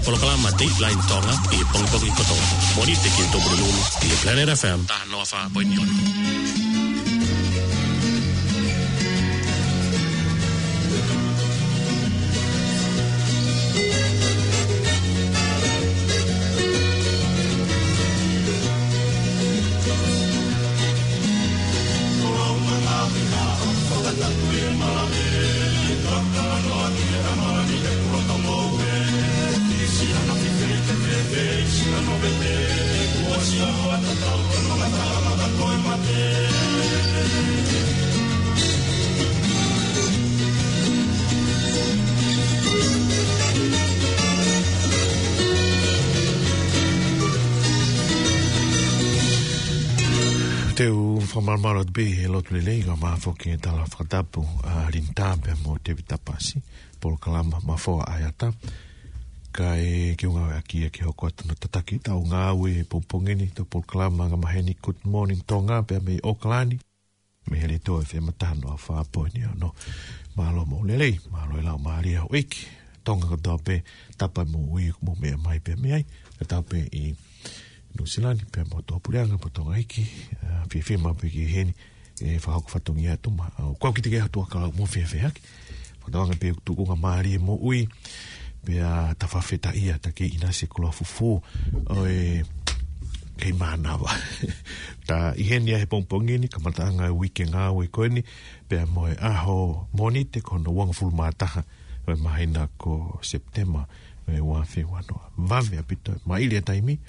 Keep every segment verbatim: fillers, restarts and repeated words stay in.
Polokalama Dateline Tonga ʻi he pongipongi kotoa. Mōnite ki he Tupulupulu ʻi he Planet F M taha noa fā poini ono. Te u fakamālō atu pē he lotu lelei, kae ʻumaʻā foki e tala fakatapu ʻa Linda pea mo Tevita Pasi, polokalama Mafoa ʻAeata. Kae ke u ngāueʻaki ia ke hoko atu ʻo tataki ʻetau ngāue he pongipongi ni, ʻetau polokalama angamaheni Good Morning Tonga pea mei ʻAokalani, mei he Letiō F M taha noa fā poini ono. Mālō moʻui lelei, mālō e laumālie ʻo e ʻEiki. Tonga kotoa pē, tapu mo e moʻui ʻoku mou meʻa mai pē mei ai, kae tapu pē ʻi Nuʻusila ni pea mo e Tuʻapuleʻanga mo Tonga ʻEiki, ʻa, fiefia maʻu pē ki heni, ʻe fakahoko fatongia atu ma, ʻa, ʻoku ou kiʻi teʻeki ai ha tuʻa kau mo fiefia hake. Fakatauange pē ʻoku tuʻunga mālie moʻui, pea ta fakafetaʻi ʻa e taki ʻinasi kula fufū, ʻo e kei mānava. Ta ʻi heni ʻa e pongipongi ni, kamataʻanga e uike ngāue ko eni, pea mo e ʻaho Mōnite ko hono uangofulu mā taha ʻo e māhina ko Sepitema ʻo e ua afe ua noa. Vave ʻaupito, maʻili e taimi,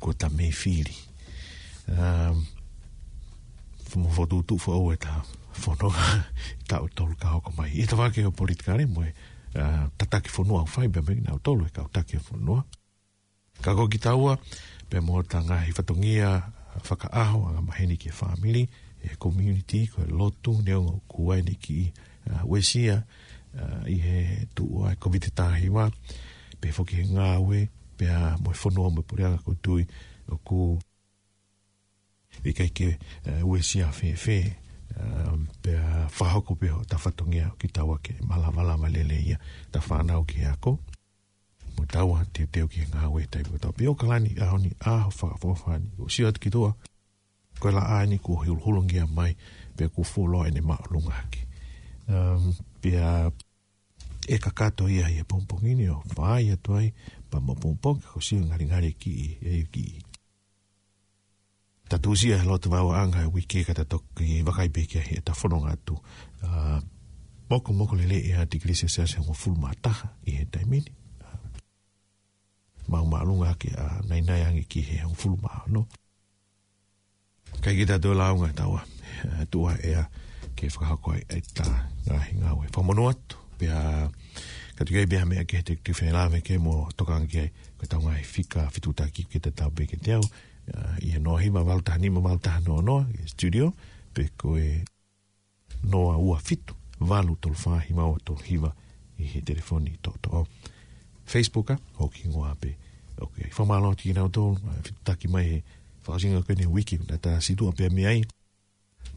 kuo ta mei fili. Um, mo fokotuʻutuʻu foʻou ʻeta fononga, taʻu ʻe tolu ka hoko mai. ʻI he tafaʻaki ʻo e politikale mo e, uh, tataki fonua ʻoku fai pē mei nautolu e kau taki ʻo e fonua. Ka ko kitaua, pea mo ʻeta ngaahi fatongia fakaʻaho, angamaheni ki he fāmili, e community, ko e lotu, neongo ʻoku ʻi ai ʻene kiʻi, uh, uesia, uh, ʻi he tuʻu ʻa e Kōviti taha hiva, pea foki he ngāue, pea mo e fonua mo e puleʻanga ʻoku ou tui ʻoku ʻikai ke, uh, uesia fēfē, uh, pea fakahoko pē hota fatongia ʻo kitaua ke malamalama lelei ia ʻeta fānau ki he ako. Mo taua teuteu ki he ngāue taimi kotoa. Pea ʻAokalani, ʻaho ni, ʻaho fakaʻofoʻofa ni. ʻOku sio atu ki tuʻa, ko e laʻā ni kuo huluhulungia mai, pea kuo fuoloa ʻene māʻolunga hake. Um, pea ʻe kakato ia ʻi he pongipongi ni ʻo fai atu ai, pea mo pongipongi, ko e sio ngalingali ki, e ki. Ta tuʻusi ʻa e loto vauʻanga e uike ka ta toki vakai pē ki ai ʻeta fononga atu. ʻA, mokomoko lelei ʻa e tikilī selesiasi ʻe hongofulu mā taha ʻi he taimi ni. ʻA, maʻu māʻolunga ke, ʻa, naʻinaʻi ange ki he hongofulu mā ono. Kae ʻikai ke ta toe lāunga taua, ʻa, tuʻa ʻea ke fakahoko ai ʻeta ngaahi ngāue. Fakamonū atu, pea ka tuku ai pē ha meʻa ke te, te felāveʻi mo tokanga ki ai, ko ʻetau ngaahi fika fetuʻutaki ke tatau pē kiate au, ʻa, ʻi he noa hiva valu taha nima valu taha noa noa, ʻi he studio, pe ko e noa ua fitu valu tolu fā hiva ua tolu hiva ʻi he telefoni toʻotoʻo. Facebook ʻa, ʻoku hingoa pē. ʻOku ʻi ai. Fakamālō atu kinautolu, ʻa, fetuʻutaki mai he fakaʻosinga ko eni e uike, naʻa ta situʻa pē mei ai.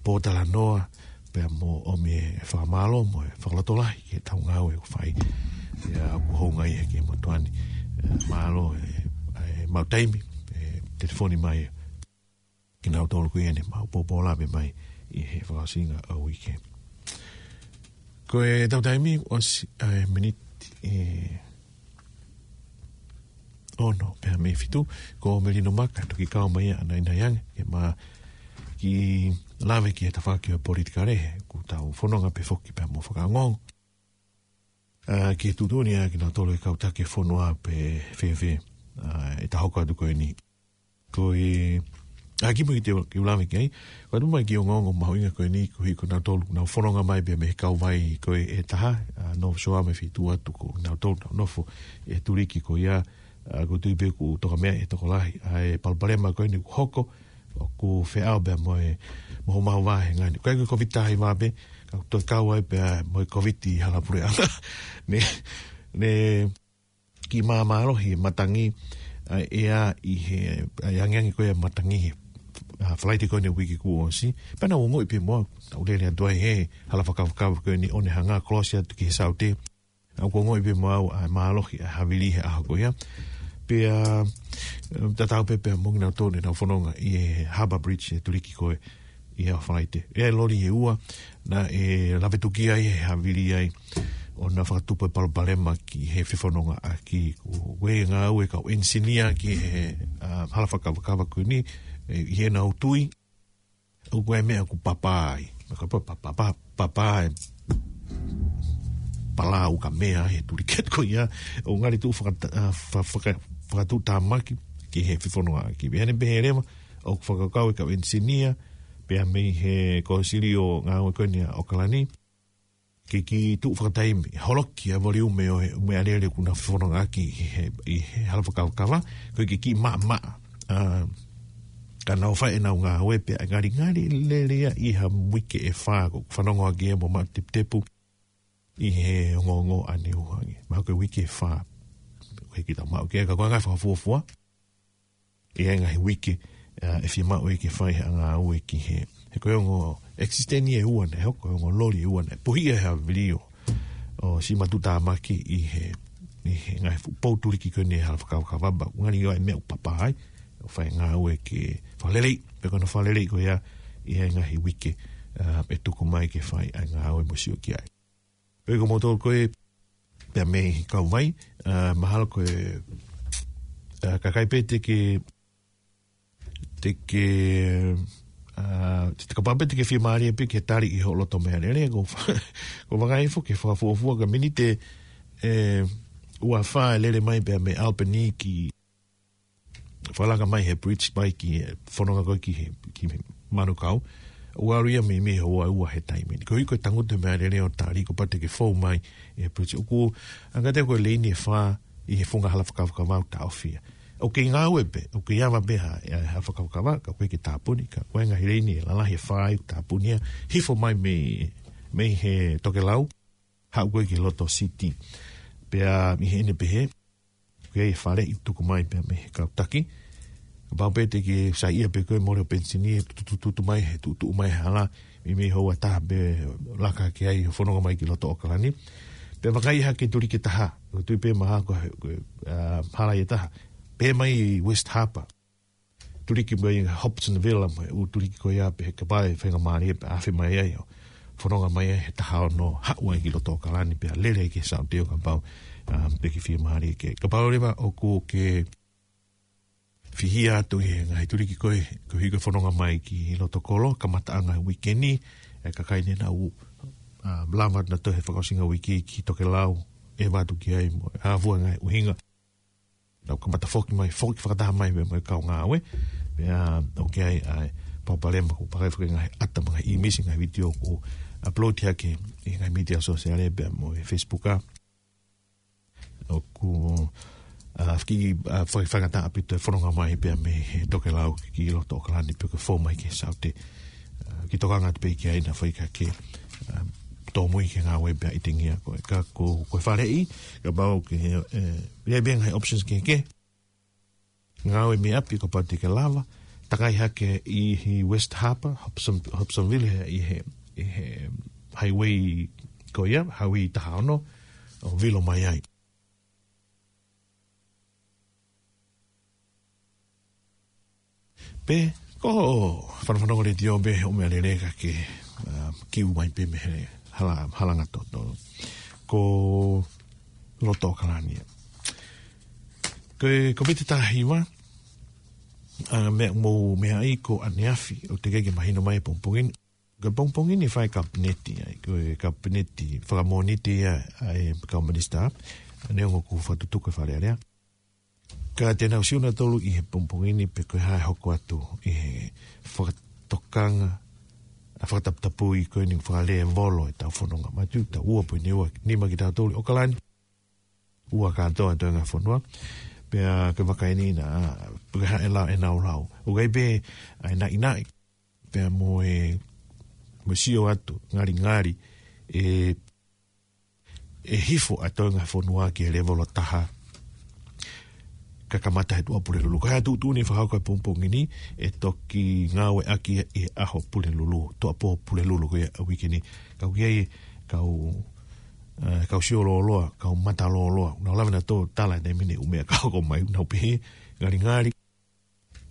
Pōtalanoa, pea mo ʻomi e fakamālō mo e fakalotolahi ki heʻetau ngāue ʻoku fai. Pea ʻoku hounga ia ki he motuʻa ni. ʻE, mālō, ʻe, ʻe, maʻu taimi, ʻe, telefoni mai kinautolu ko ia ne mau pōpō lave mai ʻi he fakaʻosinga ʻo e uike. Ko ʻetau taimi ʻosi, ʻa e miniti, ʻe, ono pea mei fitu, ko Melino Maka, toki kau mai ia ʻo naʻinaʻi ange, ke ma kiʻi lave ki he tafaʻaki ʻo e politikale, he ʻoku tau fononga pē foki pea mo fakaongoongo. ʻA, ki he tuʻutuʻuni ʻa kinautolu e kau taki fonua pe fēfē, ʻa, ʻeta hoko atu ko eni. Ko e, ʻa, kimuʻa ke u lave ki ai, ko atu mai ki he ongoongo mahuʻinga ko eni, koeʻuhi ko nautolu, nau fononga mai pea mei he kauvai ko ē ʻe taha, ʻa, North Shore mei he feituʻu atu ko nautolu nau nofo ʻi he tuliki ko ia, ʻa, ʻoku ou tui pē ʻoku toka meʻa ʻe he tokolahi, ʻa, e palopalema ko eni ʻoku hoko, ʻoku feʻao pea mo e, mo homau vahenga ni. ʻIkai ko e Kōviti taha hiva pē, ka ʻoku toe kau ai pea mo e Kōviti ʻi Halapuleʻanga. Ne, ne kiʻi māmālohi e matangi, ʻa, ʻea ʻi he, ʻa, e angiangi ko ē matangi he, ʻa, Falaite ko eni uike kuo ʻosi. Pea naʻa ku ongoʻi pē mo au, naʻa ku lele atu ai he hala fakafakava ko eni ʻo ne hanga ʻo kolosi atu ki he saute. ʻOku ongoʻi pē mo au ʻa e mālohi ʻa e havili he ʻaho ko ia. Pea, um, tatau pē pea mo kinautolu naʻa nau fononga ʻi he Harbour Bridge, ʻi he tuliki ko ē ʻi he Falaite. ʻI ai e loli ʻe ua naʻe lave tuki ai he havili ai ʻo na fakatupu e palopalema ki he fefonongaʻaki. Ko e ngāue ʻa e kau ʻenisinia ki he, uh, hala fakakavakava ko eni, ʻi heʻenau tui ʻoku ʻi ai e meʻa ʻoku papa ai. Ka pa-, pa-, pa-, pa-, papa e pala ʻoku meʻa he tuliki ko ia, ʻoku ngali tuʻu fakata-, ʻa, fa-, faka-, fakatuʻutāmaki ki he fefonongaʻaki. Pea ʻi heʻene pehē leva, ʻoku fakakaukau e kau ʻenisinia, pea mei he Kōsilio ʻo e Ngāue ko eni ʻa ʻAokalani, ke kiʻi tuʻu fakataimi, holoki ʻa e voliume ʻo e meʻalele ʻoku na fefonongaʻaki ʻi he, ʻi he hala fakakavakava, ko e kiʻi, kiʻi maʻamaʻa. ʻA, ka nau fai ʻenau ngāue pea ngalingali lele ia ʻi ha uike ʻe fā, ʻoku fanongo ʻaki ia mo Maʻu Teputepu ʻi he ongoongo ʻa Niuhangi. Mahalo ko e uike ʻe fā, ʻoku ʻikai ke tau maʻu ki ai, ka ko e ngaahi fakafuofua ʻi he ngaahi uike, ʻa, ʻe fiemaʻu ai ke fai ha ngāue ki he, he ko e ongo extender ʻe ua naʻe hoko, ko e ongo loli ʻe ua naʻe puhi ʻe he havili ʻo, ʻo siʻi matuʻutāmaki ʻi he, ʻi he ngaahi fuʻu pou tuliki ko eni he hala fakakavakava, ngali ʻoku ʻi ai e meʻa ʻoku papa ai, ʻo fai ngāue ke fakaleleiʻi, pea ko hono fakaleleiʻi ko ia ʻi he ngaahi uike, ʻa, ʻe tuku mai ke fai ʻa e ngāue mo sio ki ai. Pea ko moutolu ko ē, pea mei Kauvai, ʻa, mahalo ko e, ʻa, kakai pē te ke, te ke, ʻa, te kapau pē te ke fiemālie pē ke tali ʻi hoʻo loto meʻalele, ko fa-, ko e vakai foki he fakafuofua ka miniti ʻe ua fā e lele mai pea mei Albany ki fakalaka mai he bridge mai ki he fononga ko ē ki he, ki he Manukau. ʻOku ʻalu ia mei, mei he houa ua he taimi ni. Ko e ʻuhi ko e tangutu e meʻalele ʻo tali, kapau te ke fou mai he bridge. ʻOku anga te ko e leini ʻe fā ʻi he funga hala fakakavakava ʻoku taʻofi ia. ʻOku kei ngāue pē, ʻoku kei ava pē ha, ha fakakavakava, ka ʻoku ʻikai ke tāpuni, ka ko e ngaahi leini ʻe lalahi ʻe fā ʻoku tāpuni ia, hifo mai mei, mei he tokelau, haʻu ko ē ki loto city. Pea ʻi heʻene pehē, ʻoku ʻi ai e faleʻi tuku mai pea mei he kau taki. Kapau pē te ke saiʻia pē koe mole ʻo penisini, tutututu mai he tuʻutuʻu mai he hala, mei, mei he houa ʻe taha pē laka ki ai ʻo fononga mai ki loto ʻAokalani. Pea vakai hake tuliki ʻe taha, ʻoku tui pē mahalo ko e, ko e, ʻa, hala ʻe taha. Pē mai West Harbour. Tuliki mai Hobsonville mo e ʻū tuliki ko ia pē he kapau ʻe faingamālie pē ʻe afe mai ai ʻo fononga mai ai he taha ono haʻu ai ki loto ʻAokalani pea lele ki he saute ʻo kapau, um, pe ke fiemālie ke. Kapau leva ʻoku ke fihia atu ʻi he ngaahi tuliki ko ē, ko e hiko fononga mai ki loto kolo, kamataʻanga uike ni, ʻa e kakai ni naʻa nau, um, lava atu nautolu he fakaʻosinga uike ki tokelau, ʻeva atu ki ai mo e hā fua e ngaahi ʻuhinga. Nau kamata foki mai, foki fakataha mai mo e kau ngāue. Pea, ʻoku ʻi ai ʻa e palopalema ʻoku pehē foki ngaahi ʻata mo e ngaahi ʻīmisi, ngaahi vitiō ʻoku upload hake ʻi he ngaahi mītia sōsiale pea mo e Facebook ʻa. ʻOku, ʻa, fiki, ʻa, fai, faingataʻa ʻaupito e fononga mai pea mei he tokelau ki loto ʻAokalani pe ko e fou mai ki he saute. ʻA, kiʻi tokanga atu pē ki ai naʻa faikake, ʻa, tōmui ki he ngāue pea ʻitingia ko e ka ko, ko e faleʻi, kapau ke, ʻe, ʻi ai pē ngaahi options kehekehe. Ngāue mei ʻapi kapau te ke lava, takai hake ʻi he West Harbour, Hobson, Hobsonville he, ʻi he, ʻi he highway ko ia, highway taha ono, ʻo vilo mai ai. Pea, ko hoʻo fanafanongo letiō pē hoʻo meʻalele ka ke, ʻa, kiu mai pē mei he hala, halanga toto. Ko loto ʻAokalani ia. Ko e, ko e koviti taha hiva, ʻa, meʻa mou meaʻi ko ʻaneafi, ʻoku teʻeki ke mahino mai he pongipongi ni. Ko e pongipongi ni fai kapineti ai, ko e kapineti fakamoniti ia ʻa e kau minisitā, neongo ʻoku fakatutuku e Fale Alea. Ka te nau sio nautolu ʻi he pongipongi ni pe ko e hā e hoko atu ʻi he fakatokanga, ʻa, fakataputapui ko eni fakalēvolo ʻetau fononga. Manatuʻi ʻoku tau ua poini ua nima kitautolu ʻi ʻAokalani. Ua kātoa e toenga fonua. Pea ko e vakai ni naʻa, pe ko e hā e lau, ʻenau lau. ʻOku ʻi ai pē ʻa e naʻinaʻi pea mo e, mo e sio atu, ngalingali, ʻe, ʻe hifo ʻa e toenga fonua ki he lēvolo taha. Ka kamata he Tuʻapulelulu. Ko e tuʻutuʻuni fakahoko he pongipongi ni, ʻe toki ngāueʻaki ʻi he ʻaho Pulelulu, Tuʻapō Pulelulu ko ia ʻa e uike ni. Ka ʻoku ʻi ai e kau ʻa e kau sio lōloa, kau mata lōloa. Nau lave nautolu ʻo tala e taimi ni ʻū meʻa ka hoko mai, nau pehē, ngalingali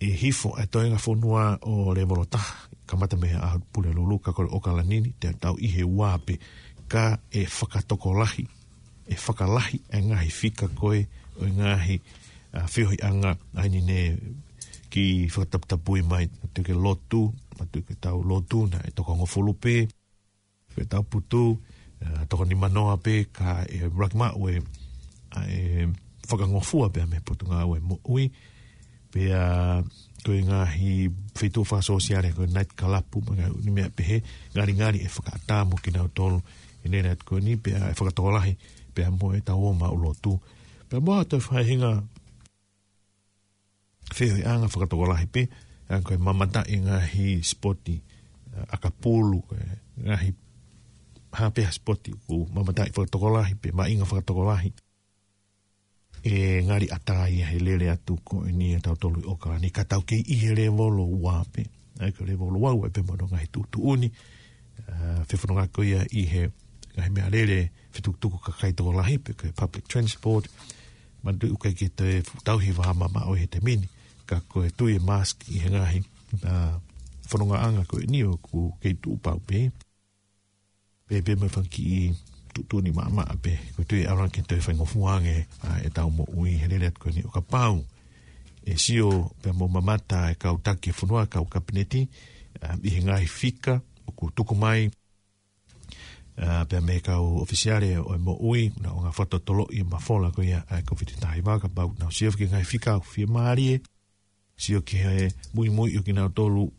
ʻe hifo e toenga fonua ʻo lēvolo taha, kamata mei he ʻaho Pulelulu, ka ko e ʻOkalani ni, te tau ʻi he ua pē, ka ʻe fakatokolahi, ʻe fakalahi e ngaahi fika ko ē ʻo e ngaahi, ʻa, feohiʻanga, ʻa eni ne kiʻi fakataputapui mai, ʻa e tau lotu, ʻa e tau lotu naʻe toko hongofulu pē, ko e tau putu, ʻa, toko nimanoa pē, ka ʻe ʻuluaki maʻu e, ʻa, ʻe fakangofua pē mei he Potungāue Moʻui, pea ko e ngaahi feituʻu fakasōsiale, ko e night club, mo e ngaahi ʻū meʻa pehē, ngalingali ʻe fakaʻatā mo kinautolu ʻi he lele atu ko eni, pea ʻe fakatokolahi pea mo e tau ō maʻu lotu. Pea mo ha toe faʻahinga feohiʻanga fakatokolahi pē, ʻa, ko e mamata e ngaahi sipoti, ʻa, ʻakapulu, ko e ngaahi hā pē ha sipoti ʻoku mamata fakatokolahi pē, maʻinga fakatokolahi. ʻE ngali ʻatā ia he lele atu ko eni ʻa tautolu ʻi ʻOkalani, ka tau kei ʻi he lēvolo ua pē. ʻA ia ko e lēvolo ua ʻoku ʻi ai pē mo hono ngaahi tuʻutuʻuni, ʻa, fefononga ko ia ʻi he ngaahi meʻalele fetukutuku kakai tokolahi pe ko e public transport. Manatuʻi ʻoku ʻikai ke toe tauhi vā mamaʻo he taimi ni, ka ko e tui e mask ʻi he ngaahi, ʻa, fonongaʻanga ko eni ʻoku kei tuʻu pau pē. Pea pē mo e fanga kiʻi tuʻutuʻuni maʻamaʻa pē, ko e tui ʻe ʻalu ange ke toe faingofua ange, ʻa, e tau moʻui he lele atu ko eni ʻo kapau ʻe sio pea mo mamata e kau taki e fonua, kau kapineti, ʻa, ʻi he ngaahi fika ʻoku tuku mai, ʻa, pea mei he kau ʻōfisiale ʻo e moʻui, naʻa nau fakatotoloʻi e mafola ko ia ʻa e Kōviti taha hiva, kapau naʻa nau sio ki he ngaahi fika ʻoku fiemālie, sio ki he muimui ʻo kinautolu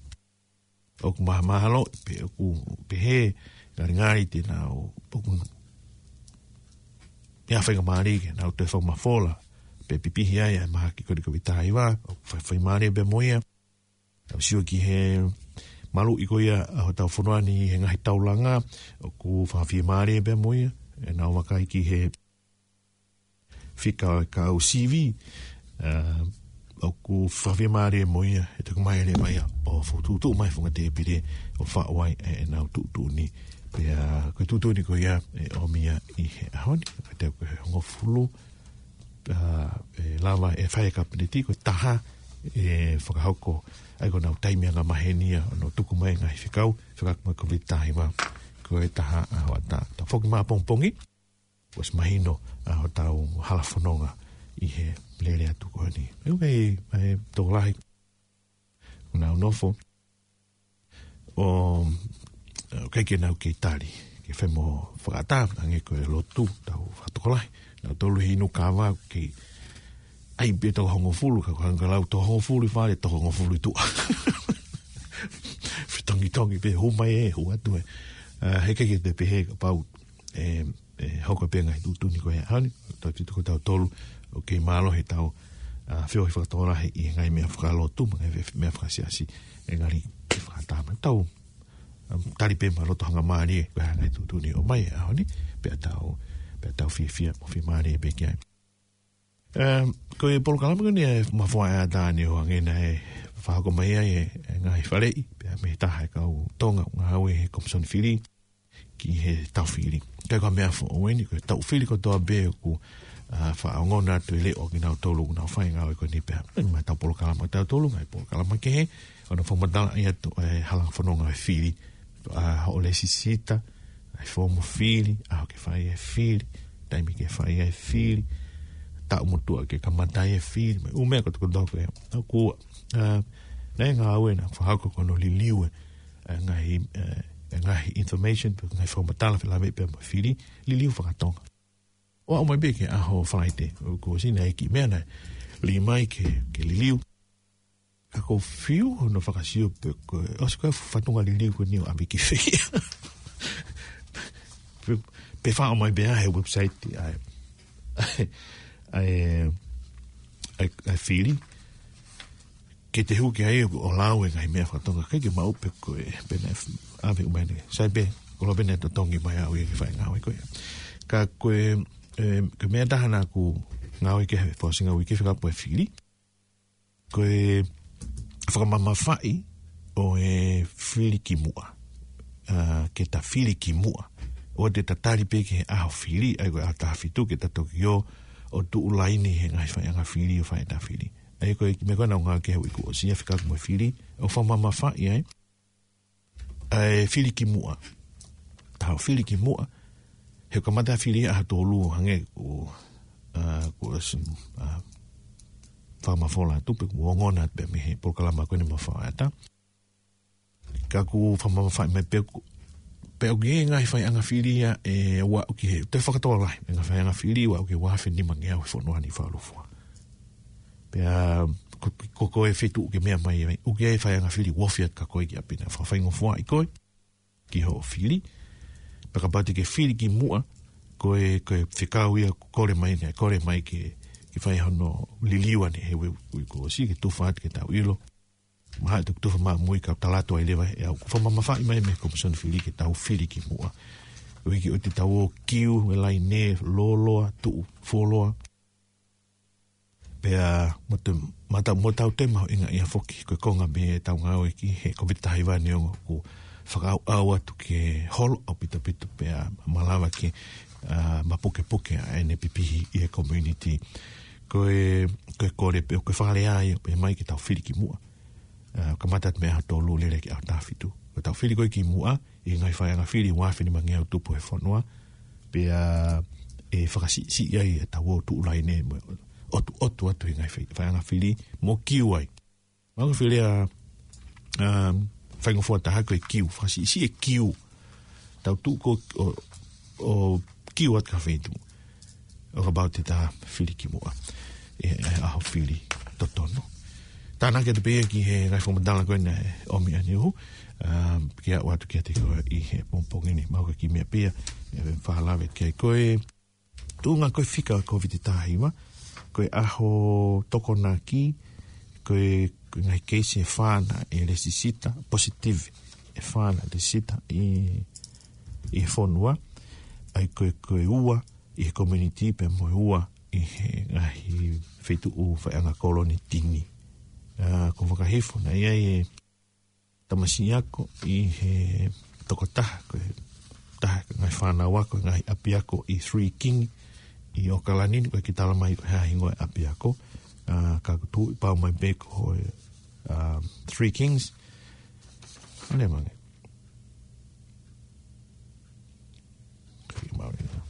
ʻoku mahamahalo, pe ʻoku pehē, ngalingali te nau, ʻoku ʻi ai ha faingamālie ke nau toe fakamafola, pe pipihi ai ʻa e mahaki ko eni Kōviti taha hiva, ʻoku fai, faingamālie pē mo ia. Tau sio ki he maluʻi ko ia ʻa hotau fonua ni he ngaahi taulanga, ʻoku fakafiemālie pē mo ia, ʻenau vakai ki he fika ʻo e kau sivi, ʻa, ʻoku fakafiemālie mo ia, ʻe toki mai leva ia ʻo fokotuʻutuʻu mai he funga tēpile ʻo faʻu ai ʻe, ʻenau tuʻutuʻuni. Pea ko e tuʻutuʻuni ko ia ʻe ʻomi ia ʻi he ʻaho ni, ka te ko e hongofulu, ʻa, ʻe lava ʻe fai e kapineti, ko e taha ʻe fakahoko, ʻa ia ko ʻenau taimi angamaheni ia ʻo nau tuku mai e ngaahi fekau, fekauʻaki mo e Kōviti taha hiva, ko e taha ʻa hoʻatā. Tau foki mai ʻapongipongi, kuo ʻosi mahino ʻa hotau hala fononga ʻi he lele atu ko eni. ʻOku ʻi ai e tokolahi ʻoku nau nofo ʻo, ʻa, ʻoku ʻikai ke nau kei tali, ke fai mo fakaʻatā, hangē ko e lotu, tau fakatokolahi, nautolu he inu kava, kei ʻai pē toko hongofulu, ka ko e hangē lau toko hongofulu ʻi fale, toko hongofulu ʻi tuʻa. Fetongitongi pē, hū mai ē, hū atu ē. ʻA, he ʻikai ke te pehē kapau ʻe, ʻe hoko pē ngaahi tuʻutuʻuni ko ia. ʻAho ni, tau tito ko tautolu, ʻoku kei mālohi ʻetau, ʻa, feohi fakatokolahi ʻi he ngaahi meʻa fakalotu, mo e ngaahi meʻa fakasiasi, ʻe ngali ke fakaʻatā mai tau, ʻa, tali pē mo e loto hangamālie, ko e hā e ngaahi tuʻutuʻuni ʻoku ʻomai he ʻaho ni, pea tau, pea tau fiefia, mo fiemālie pē ki ai. ʻE, ko e polokalama ko eni ʻe mafoa ʻe ʻatā ni ʻo hangē naʻe fakahoko mai ai e, e ngaahi faleʻi, pea mei he taha e kau Tonga ʻoku ngāue he Komisoni Fili ki he tau fili. Ka ko e meʻa foʻou eni, ko e tau fili kotoa pē ʻoku, ʻa, fakaongona atu e leʻo kinautolu ʻoku nau fai e ngāue ko eni pea. ʻE, mo e tau polokalama tautolu, ngaahi polokalama kehe, ʻo nau fakamatalaʻi atu e hala fononga e fili, ʻa, hoʻo lēsisita, ʻa e foomu fili, ʻaho ke fai e fili, taimi ke fai e fili, taʻu motuʻa ke kamata e fili, mo e ʻū meʻa kotoa kotoa ko ē. ʻOku, ʻa, naʻe ngāue naʻe fakahoko ko hono liliu e, e ngaahi, e, e ngaahi information, pe ngaahi fakamatala felāveʻi pea mo e fili, liliu fakatonga. ʻO aʻu mai pē ki he ʻaho Falaite, ʻoku ʻosi naʻe ʻi ai e kiʻi meʻa naʻe lī mai ke, ke liliu. Ka ʻoku ou fiu hono fakasio pe ko e, ʻosi ko e fatongia liliu ko eni ʻo ʻave ki fē. Pe, pe faʻo mai pē ʻa e website ʻa e, ʻa e, ʻa e, ʻa e fili. Ke te hū ki ai ʻo lau e ngaahi meʻa fakatonga, ʻikai ke maʻu pē ko e, pe naʻe f-, ʻave ʻo mai eni. Sai pē, ko e lau pē naʻe totongi mai au ia ke fai e ngāue ko ia. Ka ko e, e, ko e meʻa ʻe taha naʻa ku ngāue ki ai he fakaʻosinga uike fekauʻaki mo e fili. Ko e fakamamafaʻi ʻo e fili ki muʻa. ʻA, ke ta fili ki muʻa. ʻoua te ta tali pē ki he ʻaho fili, ʻa ia ko e ʻaho taha fitu ke ta toki ō ʻo tuʻu laine he ngaahi faiʻanga fili ʻo fai ʻeta fili. ʻA ia ko e kiʻi meʻa ko ē naʻa ku ngāueʻaki he uike kuo ʻosi ʻa e fekau mo e fili, ʻo fakamamafaʻi ai ʻa e fili ki muʻa. Tau fili ki muʻa. He kamata fili ʻaho tolu hangē ko, ʻa, ko s-, ʻa, fakamafola atu pe kuo ongona atu pē mei he polokalama ko eni mo Faʻata. Ka ʻoku fakamamafaʻi mai pē ʻoku, pea ʻoku ʻi ai e ngaahi faiʻanga fili ia ʻe ua ʻoku ʻi he, te fakatō lahi, e ngaahi faiʻanga fili ua ʻoku ʻi he ua afe nima ngeau he fonua ni fakalūkufua. Pea ko, ko, ko e feituʻu ke meʻa mai ai, ʻoku ʻi ai e faiʻanga fili ʻoku ofi atu kia koe ki ʻapi na, fakafaingofuaʻi koe ki hoʻo fili. Pea kapau te ke fili ki muʻa, ko e, ko e fekau ia ʻoku kole mai, naʻe kole mai ke, ke fai hono liliu ʻanai he uike, uike kuo ʻosi ke tufa atu ke tau ʻilo. Mahalo te u tufa maʻamui ka u tala atu ai leva ʻe au. Fakamamafaʻi mai mei he Komisoni Fili ke tau fili ki muʻa. ʻOku ʻikai ke ʻoua te tau ō kiu he laine, lōloa, tuʻu fuoloa. Pea mo te, mo tau, mo tau toe mahuʻingaʻia foki, ko e konga pē ʻetau ngāue ki he Kōviti taha hiva neongo ʻoku fakaʻauʻau atu ke holo ʻaupito pea malava ke, ʻa, mapukepuke ʻa ʻene pipihi ʻi he community. Ko e, ko e kole pē, ko e fakalea ia, pehē mai ke tau fili ki muʻa. ʻA, kamata atu mei he ʻaho tolu lele ki he ʻaho taha fitu. Ko ʻetau fili ko ē ki muʻa, ʻi he ngaahi faiʻanga fili ua afe nima ngeau tupu he fonua, pea ʻe fakasiʻisiʻi ai ʻetau ō tuʻu laine mo ʻotuʻotu atu he ngaahi fai-, faiʻanga fili mo kiu ai. Mahalo ko e fili ʻa, um, faingofua taha ko e kiu, fakasiʻisiʻi e kiu. Tau tuʻu ko ē ʻo, ʻo kiu atu ki ha feituʻu. ʻO kapau te ta fili ki muʻa ʻi he, ʻi he ʻaho fili totonu. Tānaki atu pē ia ki he ngaahi fakamatala ko ē naʻe ʻomi ʻaneuhu, um, ke aʻu atu kiate koe ʻi he pongipongi ni, mahalo ko e kiʻi meʻa pē ia ʻe fakalave ki ai. Ko e tuʻunga ko ē fika ʻo e Kōviti taha hiva, ko e ʻaho Tokonaki, ko e, ko e ngaahi keisi ʻe fā naʻe lesisita, positive, ʻe fā naʻe lesisita ʻi, ʻi he fonua, ʻa ia ko e, ko e ua ʻi he community pea mo e ua ʻi he ngaahi feituʻu faiʻanga kolonitini. ʻA, ko Fakahifo naʻe ʻi ai e tamasiʻi ako ʻi he tokotaha, ko e taha ʻo e ngaahi fānau ako ʻi he ngaahi ʻapiako ʻi Three King ʻi ʻOkalani ni, ʻoku ʻikai ke tala mai ko e hā e hingoa e ʻapiako, ʻa, ka ʻoku tuʻu pau mai pē ko e, ʻa, Three Kings. ʻAne mange. Ke mau ina.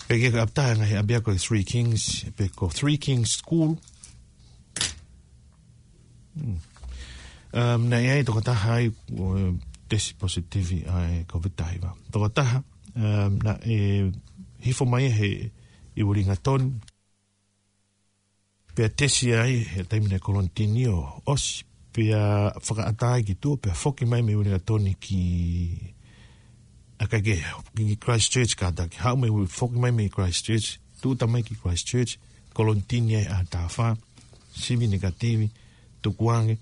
Ke ke ʻaptaha ngaahi ʻapiako ʻi Three Kings, pe ko Three Kings School. Hmm. Um, naʻe ʻi ai tokotaha ai, ʻo tesi positivi ʻa e Kōviti taha hiva. Tokotaha, um, naʻe hifo mai he ʻi Uelingatoni. Pea tesi ai, he taimi naʻe kolonitini ʻo ʻosi. Pea fakaʻatā ai ki tuʻa, pea foki mai mei Uelingatoni ki, ʻa, ʻikai ke, ki Christchurch kātaki. Haʻu mei, foki mai mei Christchurch, tuʻuta mai ki Christchurch, kolonitini ai ʻaho taha fā, sivi negative, tukuange,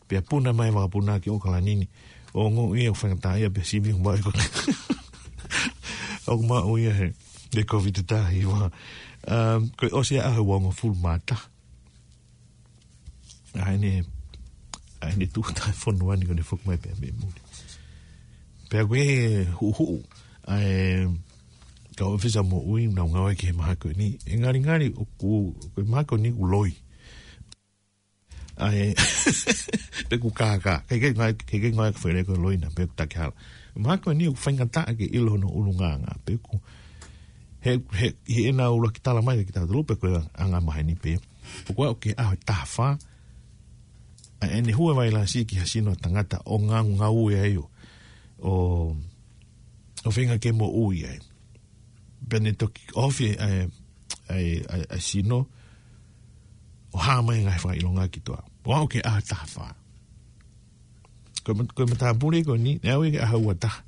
pea puna mai vakapuna ki ʻOkalani ni. ʻO ongoʻi ia ʻoku faingataʻaʻia pea sivi ʻoku maʻu ia ko, ʻoku maʻu ia he, he Kōviti taha hiva. Um, ko e ʻosi ʻa e ʻaho ua hongofulu mā taha. ʻA ʻene, ʻa ʻene tuʻuta he fonua ni ko ʻene foki mai pea mei muli. Pea ko e huʻuhuʻu ʻa e kau ʻōfisa moʻui naʻa ku ngāue ki he mahaki ko eni. ʻE ngalingali ʻoku, ko e mahaki ko eni ʻoku loi. ʻA e, pe ʻoku kākā. ʻIkai ke ngāue, ʻikai ke ngāue ʻa e fale ko e loi na, pe ʻoku takihala. Mahaki ko eni ʻoku faingataʻa ke ʻilo hono ʻulungaanga. Pe ʻoku, he, he, he ʻena ʻuluaki tala mai kia kitautolu pe ko e anga maheni pē. ʻOku aʻu ki he ʻaho taha fā, ʻa ʻene hū e vailasi ki ha sino ʻo e tangata ʻo ngaungaue ai ʻo, ʻo, ʻo feinga ke moʻui ai. Pea ne toki ofi ʻa e, ʻa e, ʻa e, ʻa e sino, ʻo hā mai e ngaahi fakaʻilonga ki tuʻa. ʻO aʻu ki he ʻaho taha fā. Ko e mat-, ko e matāpule ko eni, naʻe aʻu ia ki he ʻaho ua taha.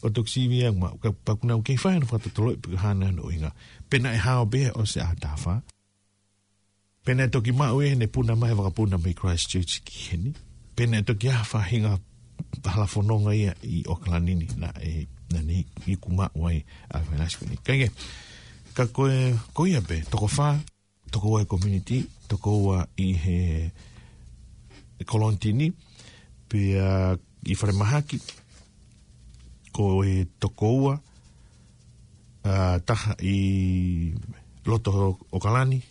ʻO toki sivi ange maʻu, ka, pea ʻoku nau kei fai hono fakatotoloʻi pe ko e hā nai hono ʻuhinga. Pe naʻe hao pē ʻosi e ʻaho taha fā. Pe naʻe toki maʻu ia heʻene puna mai he vakapuna mei Christchurch ki heni. Pe naʻe toki ʻi ai ha faʻahinga hala fononga ia ʻi ʻOkalani ni naʻe, naʻa ne iku maʻu ai ʻa e vailasi ko eni. Kae kehe, ka ko e, ko ia pē, toko fā, toko ua he community, toko ua ʻi he, he kolonitini, pea ʻi falemahaki, ko e toko ua, ʻa, taha ʻi loto ʻAokalani,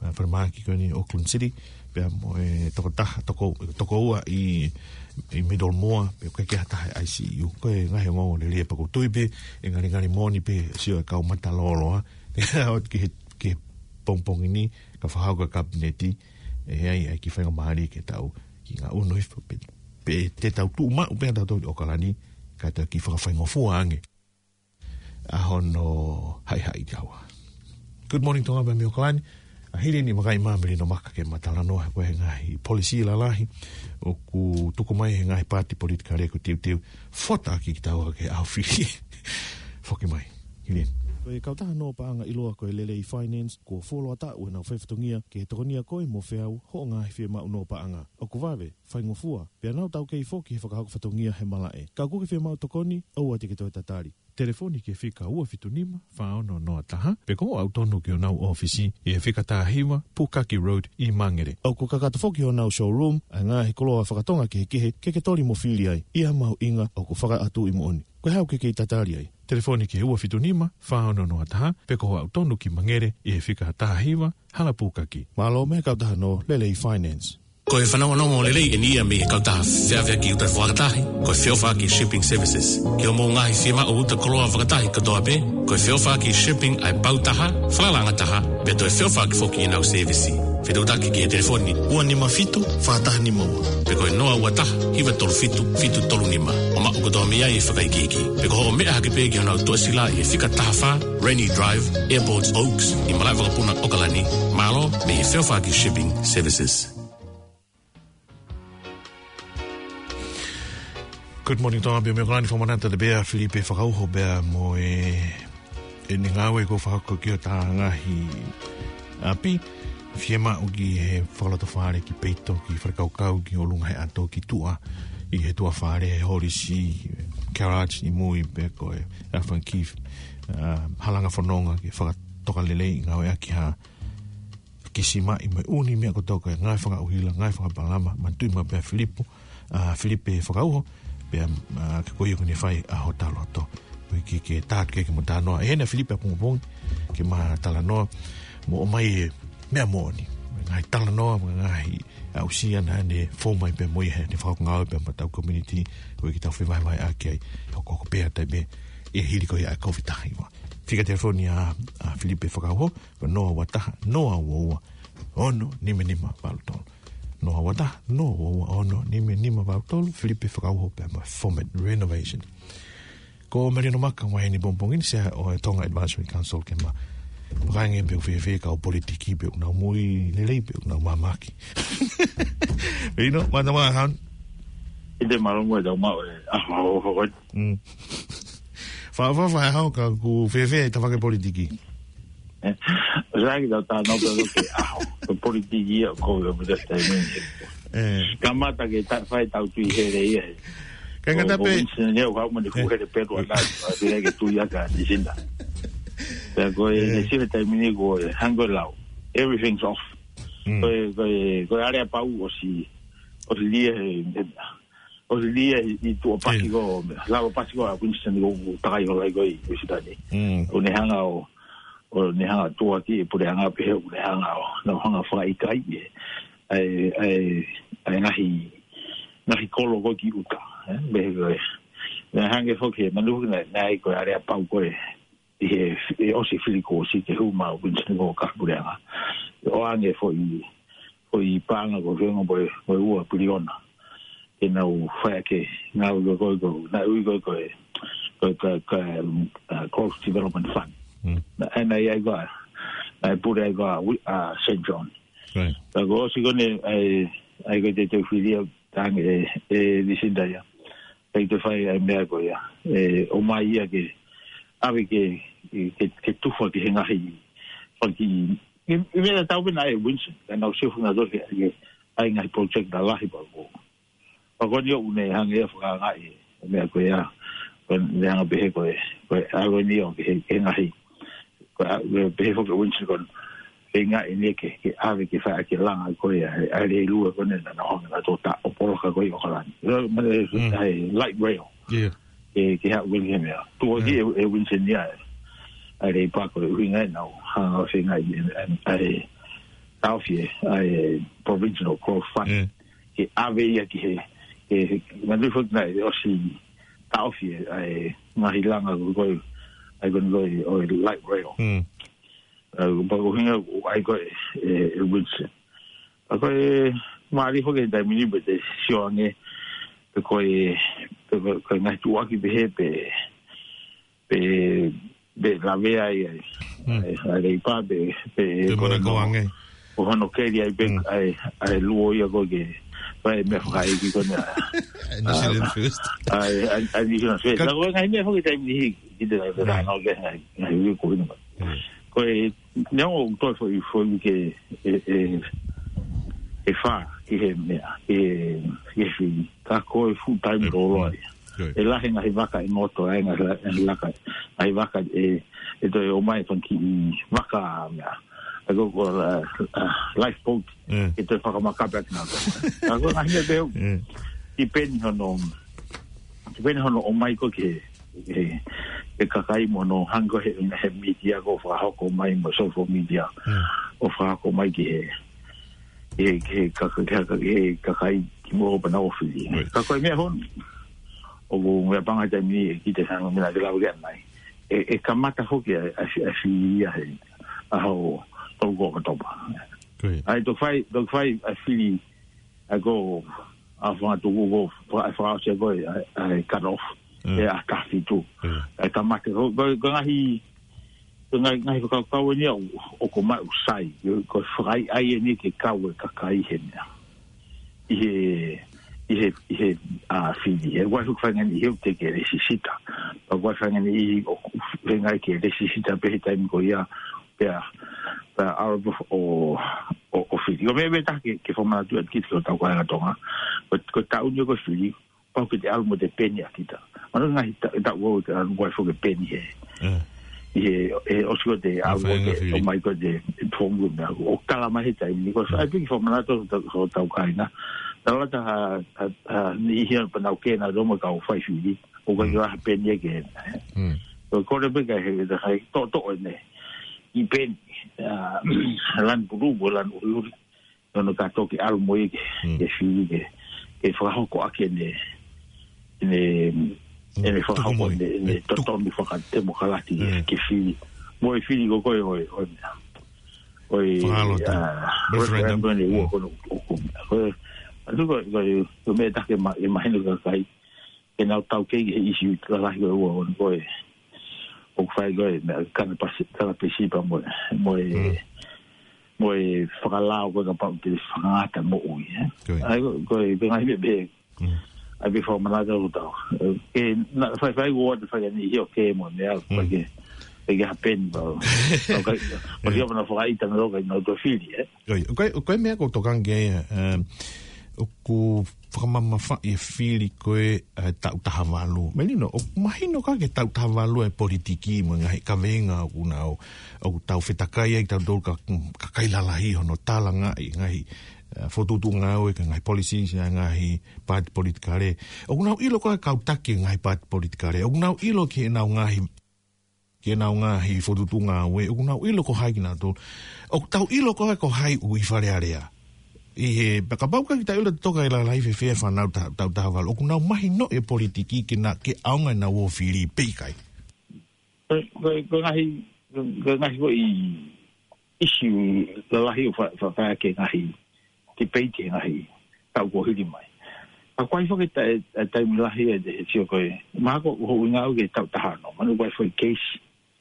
ʻa, falemahaki ko eni Auckland City, pea mo e tokotaha, toko, toko ua ʻi, ʻi Middlemore, pea ʻoku ʻikai ke ʻi ai ha taha ʻi I C U. Ko e ngaahi ongoongo lelei pea ʻoku ou tui pē ʻe ngalingali moʻoni pē sio e kau mata lōloa, ʻo aʻu ki he, ki he pongipongi ni, ka fakahoko e kapineti, ʻe ʻi ai, ʻi ai e kiʻi faingamālie ke tau kiʻi ngaʻunu hifo pē, pe te tau tuʻu maʻu pē ʻa tautolu ʻi ʻAokalani, ka tau kiʻi fakafaingofua ange ʻa hono haʻihaʻi taua. Good morning, Tonga, pea mei ʻAokalani. ʻA, hili eni, vakai mai Melino Maka ke ma talanoa ko e ngaahi polisī lalahi ʻoku tuku mai he ngaahi paati politikale ʻoku teuteu fota ki taua ki he ʻaho fili. Foki mai, hili eni. Ko e kautaha nō paʻanga ʻiloa ko e Lelei Finance, kuo fuoloa taʻu ʻenau faifatongia ke tokonia koe mo feau hoʻo ngaahi fiemaʻu nō paʻanga. ʻOku vave, faingofua, pea nau taukei foki he fakahoko fatongia he malaʻe. Ka ʻoku ke fiemaʻu tokoni, ʻoua te ke toe tatali. Telefoni ki he fika ua fitu nima, fā ono noa taha, pe ko hoʻo aʻu tonu ki honau ʻōfisi ʻi he fika taha hiva, Pukaki Road ʻi Mangere. ʻOku kakato foki honau showroom ʻa e ngaahi koloa fakatonga kehekehe ke ke toli mo fili ai, ʻi ha mahuʻinga ʻoku fakaʻatuʻi moʻoni. Ko e hā ʻoku ke kei tatali ai? Telefoni ki he ua fitu nima, fā ono noa taha, pe ko hoʻo aʻu tonu ki Mangere ʻi he fika taha hiva, Hala Pukaki. Mālō mei he kautaha nō Lelei Finance. Ko e fanongonongo lelei eni ia mei he kautaha feʻaveʻaki uta fakatahi, ko e feʻofaʻaki shipping services. Ki hoʻomou ngaahi fiemaʻu uta koloa fakatahi kotoa pē, ko e feʻofaʻaki shipping ʻa e pau taha, falalaʻanga taha, pea toe feʻofaʻaki foki ʻenau sēvisi. Fetuʻutaki ki he telefoni ua nima fitu, fā taha nima ua. Pe ko e noa ua taha, hiva tolu fitu, fitu tolu nima. ʻO maʻu kotoa mei ai e fakaikiiki. Pe ko hoʻo meʻa hake pē ki honau tuʻasila ʻi he fika taha fā, Rennie Drive, Airport Oaks, ʻi Malaʻevakapuna, ʻAokalani. Mālō mei he feʻofaʻaki shipping services. Good morning, Tonga, pea mei ʻAokalani, fakamanatu atu pē ʻa Filipe Fakauho pea mo e, ʻene ngāue ʻoku fakahoko ki hota ngaahi ʻapi. Fiemaʻu ki he fakalotofale, ki peito, ki falekaukau, ki ʻolunga he ʻato, ki tuʻa, ʻi he tuʻa fale, he holisi, garage ʻi mui, pe ko e Alpha and Keith, ʻa, halanga fononga ke fakatoka lelei, ngāueʻaki ha kisimaʻi mo e ʻū meʻa kotoa ko e ngāue fakaʻuhila, ngāue fakapalama, manatuʻi maʻu pē ʻa Filipe, ʻa, Filipe Fakauho, pea, ʻa, ke ko ia ʻoku ne fai ʻa hota loto. Ko e ke, ke tātu ke, ke mo talanoa. ʻE hena Filipe ʻapongipongi, ke ma talanoa, mo ʻomai e meʻa moʻoni. Ngaahi talanoa, mo e ngaahi aʻusia naʻa ne fou mai pē mo ia heʻene fakangāue pē mo hotau community, ko e ke tau fevahevaheʻaki ai, hokohoko pē ʻa taimi ʻe hili ko ia ʻa e COVID taha hiva. Fika telefoni ʻa, ʻa Filipe Fakauho, ko e noa ua taha, noa ua ua, ono nima nima valu tolu. Noa ua taha, noa ua ua, ono nima nima valu tolu, Filipe Fakauho pea mo e Format Renovation. Ko Melino Maka mai eni he pongipongi ni, Sea ʻo e Tonga Advisory Council, ke ma vakaange pe ʻoku fēfē e kau politiki, pe ʻoku nau moʻui lelei, pe ʻoku nau māmaki. Melino, mata mā han. ʻIte malongo e tau maʻu e, ah, mau hoko. Mm. Fa, fa, fa, hau ka ʻoku fēfē e tafaʻaki politiki. Eh, sai ki tau tā nau pē loke, ah, ko e politiki ia ko e, ko e, ko e, Eh. Kamata ke ta-, fai tau tui here ia. Ka ngata pē. Ko Winston ia, ʻoku haʻu mo ʻene fuʻu here pelu ʻana, ʻa tui ke tui aka ni sina. Pea ko e, Eh. ne sive taimi ni ko e, hangē ko e lau. Everything's off. Mm. Ko e, ko e, ko e aleapau ʻosi, ʻosi lia he, he, ʻosi lia ʻi tuʻa pasi Eh. ko, lalo pasi ko ʻa Winston ko, ko takai hola ko ʻi Winston ni. Mm. ʻO ne hanga ʻo, ʻo ne hanga ʻo tuʻuaki e puleʻanga pehē ʻoku ne hanga ʻo, nau hanga fakaʻikaiʻi e, ʻa e, ʻa e, ʻa e ngaahi, ngaahi kolo ko ē ki ʻuta, eh, pehē ko e. Naʻe hangē foki, manu foki naʻe, naʻe ʻi ai ko e aleapau ko ē, ʻi he, ʻi he ʻosi fili kuo ʻosi ke hū mai ʻa Winston ko e kau puleʻanga. ʻOange foʻi, foʻi paʻanga ko e fengo mo e, mo e ua piliona. Ke nau fai ʻaki e ngāue ko ē, ko e, naʻe ui ko ē, ko e, ko e, ko e, ko e, um, uh, Growth Development Fund. Mm. Naʻe, naʻe ʻi ai ko ē, naʻe pule ai ko ē, ui, uh, Saint John. Right. Ka kuo ʻosi ko eni, ʻa e, ʻa e ko e te te fili ia, tangi e, e Lucinda ia. ʻIkai toe fai ʻa e meʻa ko ia. ʻE, ʻomai ia ke, ʻave ke, ke, ke tufa ki he ngaahi, faki, ʻi, ʻi meʻa tau pena ʻe Winston, ka nau sio funa tō ke, ke, ʻa e ngaahi project lalahi pea ko. Pea ko eni ʻoku ne hanga ia ʻo fakaangaʻi, meʻa ko ia, ko eni hanga pehē ko e, ko e, ʻalu eni ʻo ke, ke ngaahi, ko e, ʻa, pehē foki ʻe Winston ko e, ke ngaahi ni ke, ke ʻave ke fai ke langa ko ia, ʻa e, ʻa e lelua ko eni naʻa nau hanga ʻo tō tā ʻo poloka ko ē ʻi ʻAokalani. Lau, ma, Mm. ʻa e light rail. Yeah. Ke, ke haʻu ko eni he meʻa. Tuʻuaki Mm. ʻe, ʻe Winston ia e. ʻa e Leipa ko e ʻuhinga ʻenau hanga ʻo feinga ʻi, ʻi, ʻa e taʻofi ʻa e Provincial Growth Fund. Mm. Ke ʻave ia ki he, ke, ke, manatu foki naʻe ʻosi taʻofi ʻa e ngaahi langa ko e, ʻa e ko e, ʻo e light rail. Mm. ʻA, pea ko e ʻuhinga ʻa e ko e, e, e Winston. ʻA ko e, mālie foki he taimi ni pea te sio ange, pe ko e, pe ko e, ko e ngaahi tuʻuaki pehē pe, pe, pe lavea ai, ai. Mm. ʻA e, ʻa e Leipa pe, pe, Pe ko e Manukau no, ange. ʻO hono keli ai pe, Mm. ʻa e, ʻa e luo ia ko ke, ʻa e meʻa fakaʻeiki ko ena. New Zealand First. ʻA e, ʻa e, ʻa e New Zealand First. Ka- Ka ko e ngaahi meʻa foki taimi ni, ki te ngai, Mm. ngai, ngai, ngai, ko ena. Mm. Ko e, neongo ʻoku toe foʻi, foʻi ke, e, e, e fā, ki he meʻa, e, e fili. Ka ko e full time Mm. loloa ia. Right. ʻE lahi ngaahi vaka ʻe ngoto ai, ngaahi la-, ngaahi laka, ngaahi vaka ʻe, ʻe toe ʻomai fanga kiʻi vaka meʻa. ʻA ko, ko la, a, lifeboat, Mm. ʻe toe fakamakape atu na. ʻA ko ngaahi meʻa pehē, Mm. depend hono, depend hono ʻomai ko ke, e, e kakai mo hono hanga he, he media ko fakahoko mai mo social media. Mm. ʻO fakahoko mai ki he, he, he, ka-, ka-, ka-, he kakai ki mo pana ofili. Right. Ka ko e meʻa hono. ʻOku meʻa panga taimi ni e ki te sanga mena ke lau ke anai. E, e kamata foki a, a, a fili ia he. ʻAho tolu ko ʻOkatopa. Great. ʻA e toki fai, toki fai ʻa e fili ʻa e ko ʻa fanga tuku ko fa-, fakaʻosi ko e, ʻa e, ʻa e cut off. Mm. ʻE ʻa taha fitu. Mm. ʻA e kamata ko, ko, ko e ngaahi, ko e ngaahi, ngaahi fakakaukau eni ʻoku, ʻoku maʻu sai. Ko e fakaʻaiʻai eni ke kau e kakai he meʻa. ʻI he, ʻi he, ʻi he, ʻa, fili. ʻE ʻoku ʻikai fuʻu faʻahinga ni he ʻoku te ke lēsisita. ʻOku ʻikai faʻahinga ni ʻi ʻoku feinga ke lēsisita pē he taimi ko ia. Pea, pea ʻalu ʻo, ʻo, ʻo fili. Ko e meʻa, meʻa ʻe taha ke, ke fakamanatu atu ki he kau kāinga Tonga. Ko, ko e taʻu ni ko e fili, pau ke te ʻalu mo e peni ʻa kita. Manatu ngaahi ta-, taʻu ʻoku te ʻalu mo e foʻi peni he. Mm. ʻI he, he ʻosi ko e te ʻalu mo e, Fakafainga fili. ʻOmai ko e te, e tuongu meʻa. ʻOku tala mai he taimi ni, ko e Mm. ʻai pē ke fakamanatu ki he kau, ki he kau kāinga. Tala atu ha, ha, ha niʻihi ʻoku nau kei nau ō mo e kau fai fili. ʻOku ʻikai Mm. ke ʻi ai ha peni ia ke. Mm. Ko e kole pē ke he, he, he toʻotoʻo ʻene kiʻi peni, ʻa, lanu pulū mo e lanu ʻuliʻuli. Naʻa nau kātoa ke ʻalu mo ia ke, Mm. ke fili ke, ke fakahoko ʻaki ʻene, ʻene, Mm. ʻene fakahoko Tuku mo ia. ʻene, ʻene Mm. Tuku. totonu fakatemokalati Mm. ke fili. Mo e fili ko ē ʻo e, ʻo e, ʻo e, Fakaʻalo atu. ʻa, Referendum. Referendum ʻe ua Mm. ko ē ʻoku, ko e, ʻa, ko e, ko e meʻa ʻe taha ke ma-, ʻe mahino ki he kakai. Ke nau taukei ki he ʻīsiu lalahi ko ē ʻoku, ko e, ʻoku fai ko e, meʻa, kana pasi-, kana pesipa mo e, mo e, Mm. mo e fakalao ko ē kapau te fakangata moʻui, ē? Ko ia. ʻA ia ko e, ko e, ko e ngaahi meʻa pē, Mm. ʻai pē fakamanatu ʻo tau. Ke, naʻa faifai ʻoku ʻoatu fai ʻa e niʻihi ʻoku kei mo e meʻa, Mm. ke, ke ke hapeni pau. ʻOku ʻikai, ʻoku ʻikai ke nau fakaʻita na loka ʻi nau toe fili, ē? Ko ia, ko e, ko e meʻa ʻoku ou tokanga ki ai, um, ʻoku fakamamafaʻi e fili ko ē, ʻa e taʻu taha valu. Melino, ʻoku mahino ka ke taʻu taha valu e politiki mo e ngaahi kaveinga ʻoku nau, ʻoku tau fetakai ai tautolu ka, kakai lalahi hono talangaʻi ngaahi, uh, fokotuʻutuʻu ngāue ki he ngaahi policies ʻa e ngaahi paati politikale. ʻOku nau ʻilo ko e kau taki e ngaahi paati politikale. ʻOku nau ʻilo ki heʻenau ngaahi ki heʻenau ngaahi fokotuʻutuʻu ngāue, ʻoku nau ʻilo ko hai kinautolu. ʻOku tau ʻilo ko hai, ko hai ʻoku ʻi Fale Alea. ʻI he, pea kapau ʻoku ʻikai ke tau ʻilo toka e lalahi fēfē e fānau ta-, taʻu taha valu. ʻOku nau mahinoʻi e politiki ke na, ke ʻaonga ʻenau ō fili pe ʻikai. Ko, ko, ko e ngaahi, ko, ko e ngaahi ko e ʻīsiu lalahi ʻoku fa-, fa-, fai ʻaki e ngaahi tipeiti he ngaahi taʻu kuo hili mai. Ka ʻoku ʻi ai foki e ta-, e, e taimi lahi ʻe, ʻe sio ko ē. Mahalo ko hoʻo ʻuhinga ʻoku ke taʻu taha ono. Mahalo ʻoku ʻi ai foki e keisi.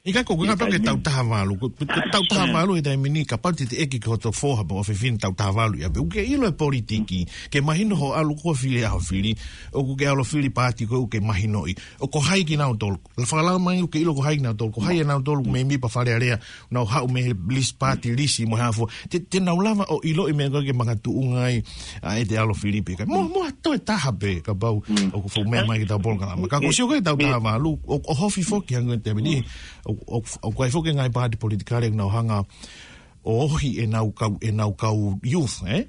ʻIkai ko e ʻuhinga pē ke taʻu taha valu. Ko, ko taʻu taha valu he taimi ni, kapau te te ʻeke ki hoto foha pe ʻofefine taʻu taha valu ia pē. ʻOku ke ʻilo e politiki, ke mahino hoʻo ʻalu ko ē ʻo fili ʻaho fili, ʻoku ke ʻalu ʻo fili paati ko ē ʻoku ke mahinoʻi. ʻOku ko hai kinautolu. Lava ke lave mai ʻoku ke ʻilo ko hai kinautolu, ko hai kinautolu mēmipa Fale Alea, nau haʻu mei he lisi paati, lisi mo e hā fua. Te, te nau lava ʻo ʻiloʻi meʻa ko ē ke makatuʻunga ai, ʻa, ʻete ʻalu ʻo fili pe ʻikai. Mo, mo ha toe taha pē, kapau, Mm. ʻoku fuʻu meʻa mai ki he polokalama. Ka ko e sio ko ē taʻu taha valu, ʻo, ʻo hofi foki hangē ko e taimi ni, ʻo, ʻo, ʻoku ʻi ai foki e ngaahi paati politikale ʻoku nau hanga ʻo ohi ʻenau kau, ʻenau kau youth, ē?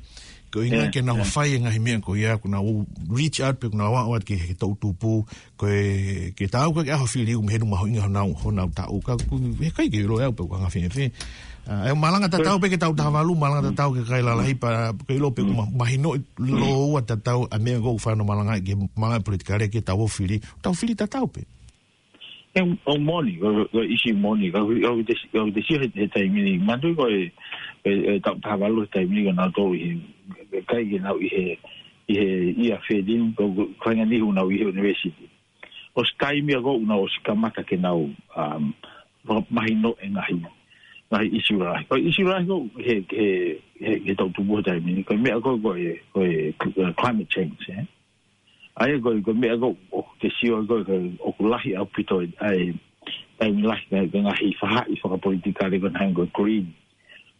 Ko e ʻuhinga ke nau fai e ngaahi meʻa ko ia, ko nau reach out pē, ko nau ʻalu atu ki he toʻutupu, ko e, ke tau ko e ʻaho fili ʻoku mehenu mahuʻinga honau, honau taʻu. Ka ʻoku, he ʻikai ke ʻilo ʻe au pe ko e anga fēfē. ʻA, ʻe malanga tatau pē ki he taʻu taha valu, malanga tatau ki he kakai lalahi pea, ke ʻilo pē ʻoku ma-, mahino ʻi loua tatau ʻa e meʻa ʻoku fai hono malanga ki he malanga politikale ki he taʻu ʻoku fili, tau fili tatau pē. ʻE, ʻoku moʻoni, ko, ko e ʻisi moʻoni, ka, ka, ka te, ka te sio he, he taimi ni, manatuʻi ko e, e, e taʻu taha valu he taimi ni ko nautolu ʻi he, ʻikai ke nau ʻi he, ʻi he ia fēlin, ko, ko, ko e ʻuhinga ni ʻoku nau ʻi he university. ʻOsi taimi ia ko ē ʻoku nau ʻosi kamata ke nau, um, mahino e ngaahi, ngaahi ʻisi lahi. Ko e ʻisi lahi ko ē he, he, he, he toʻutupu he taimi ni, ko e meʻa ko ē, ko e, ko e, ko e climate change, ē? ʻA ia ko e, ko e meʻa ko ē ʻoku te sio ko ē, ko e ʻoku lahi ʻaupito e, ʻa e, taimi lahi ko e, ko e ngaahi faʻahi fakapolitikale ko ē hangē ko e Green.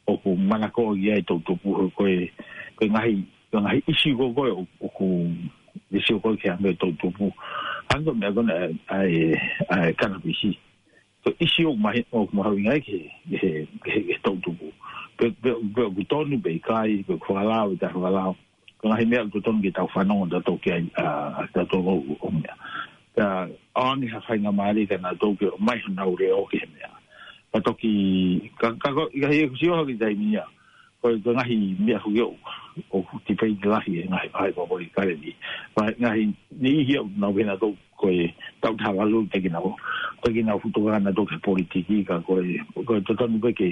ʻOku manako ki ai e toʻutupu ko e, ko e ngaahi, ko e ngaahi ʻisi ko ē ʻoku, ʻoku te sio ko ē ki ai e toʻutupu. Hangē ko e meʻa ko ena ʻa e, ʻa e, ʻa e kanapisi. Ko e ʻisi ʻoku mahi-, ʻoku mahuʻinga ai ki he, ki he, ki he, ki he toʻutupu. Pe, pe, pe ʻoku tonu pe ʻikai, pe ʻoku fakalao, ʻikai fakalao. Ko e ngaahi meʻa ʻoku totonu ke tau fanongo tautolu ki ai, ʻa, ʻa tautolu ʻo, ʻo meʻa. Ka ʻoange ha faingamālie kia nautolu ke ʻomai honau leʻo ki he meʻa. Ka toki, ka, ka ko, ʻikai ke sio hake taimi ia. Ko e, ko e ngaahi meʻa foki ʻoku, ʻoku tipeiti lahi e ngaahi, ngaahi fakapolitikale ni. Ngaahi, ngaahi, niʻihi ʻoku nau pehē nautolu ko e taʻu taha valu te ke nau, te ke nau futu ka nautolu ki he politiki ka ko e, ko e totonu pē ke,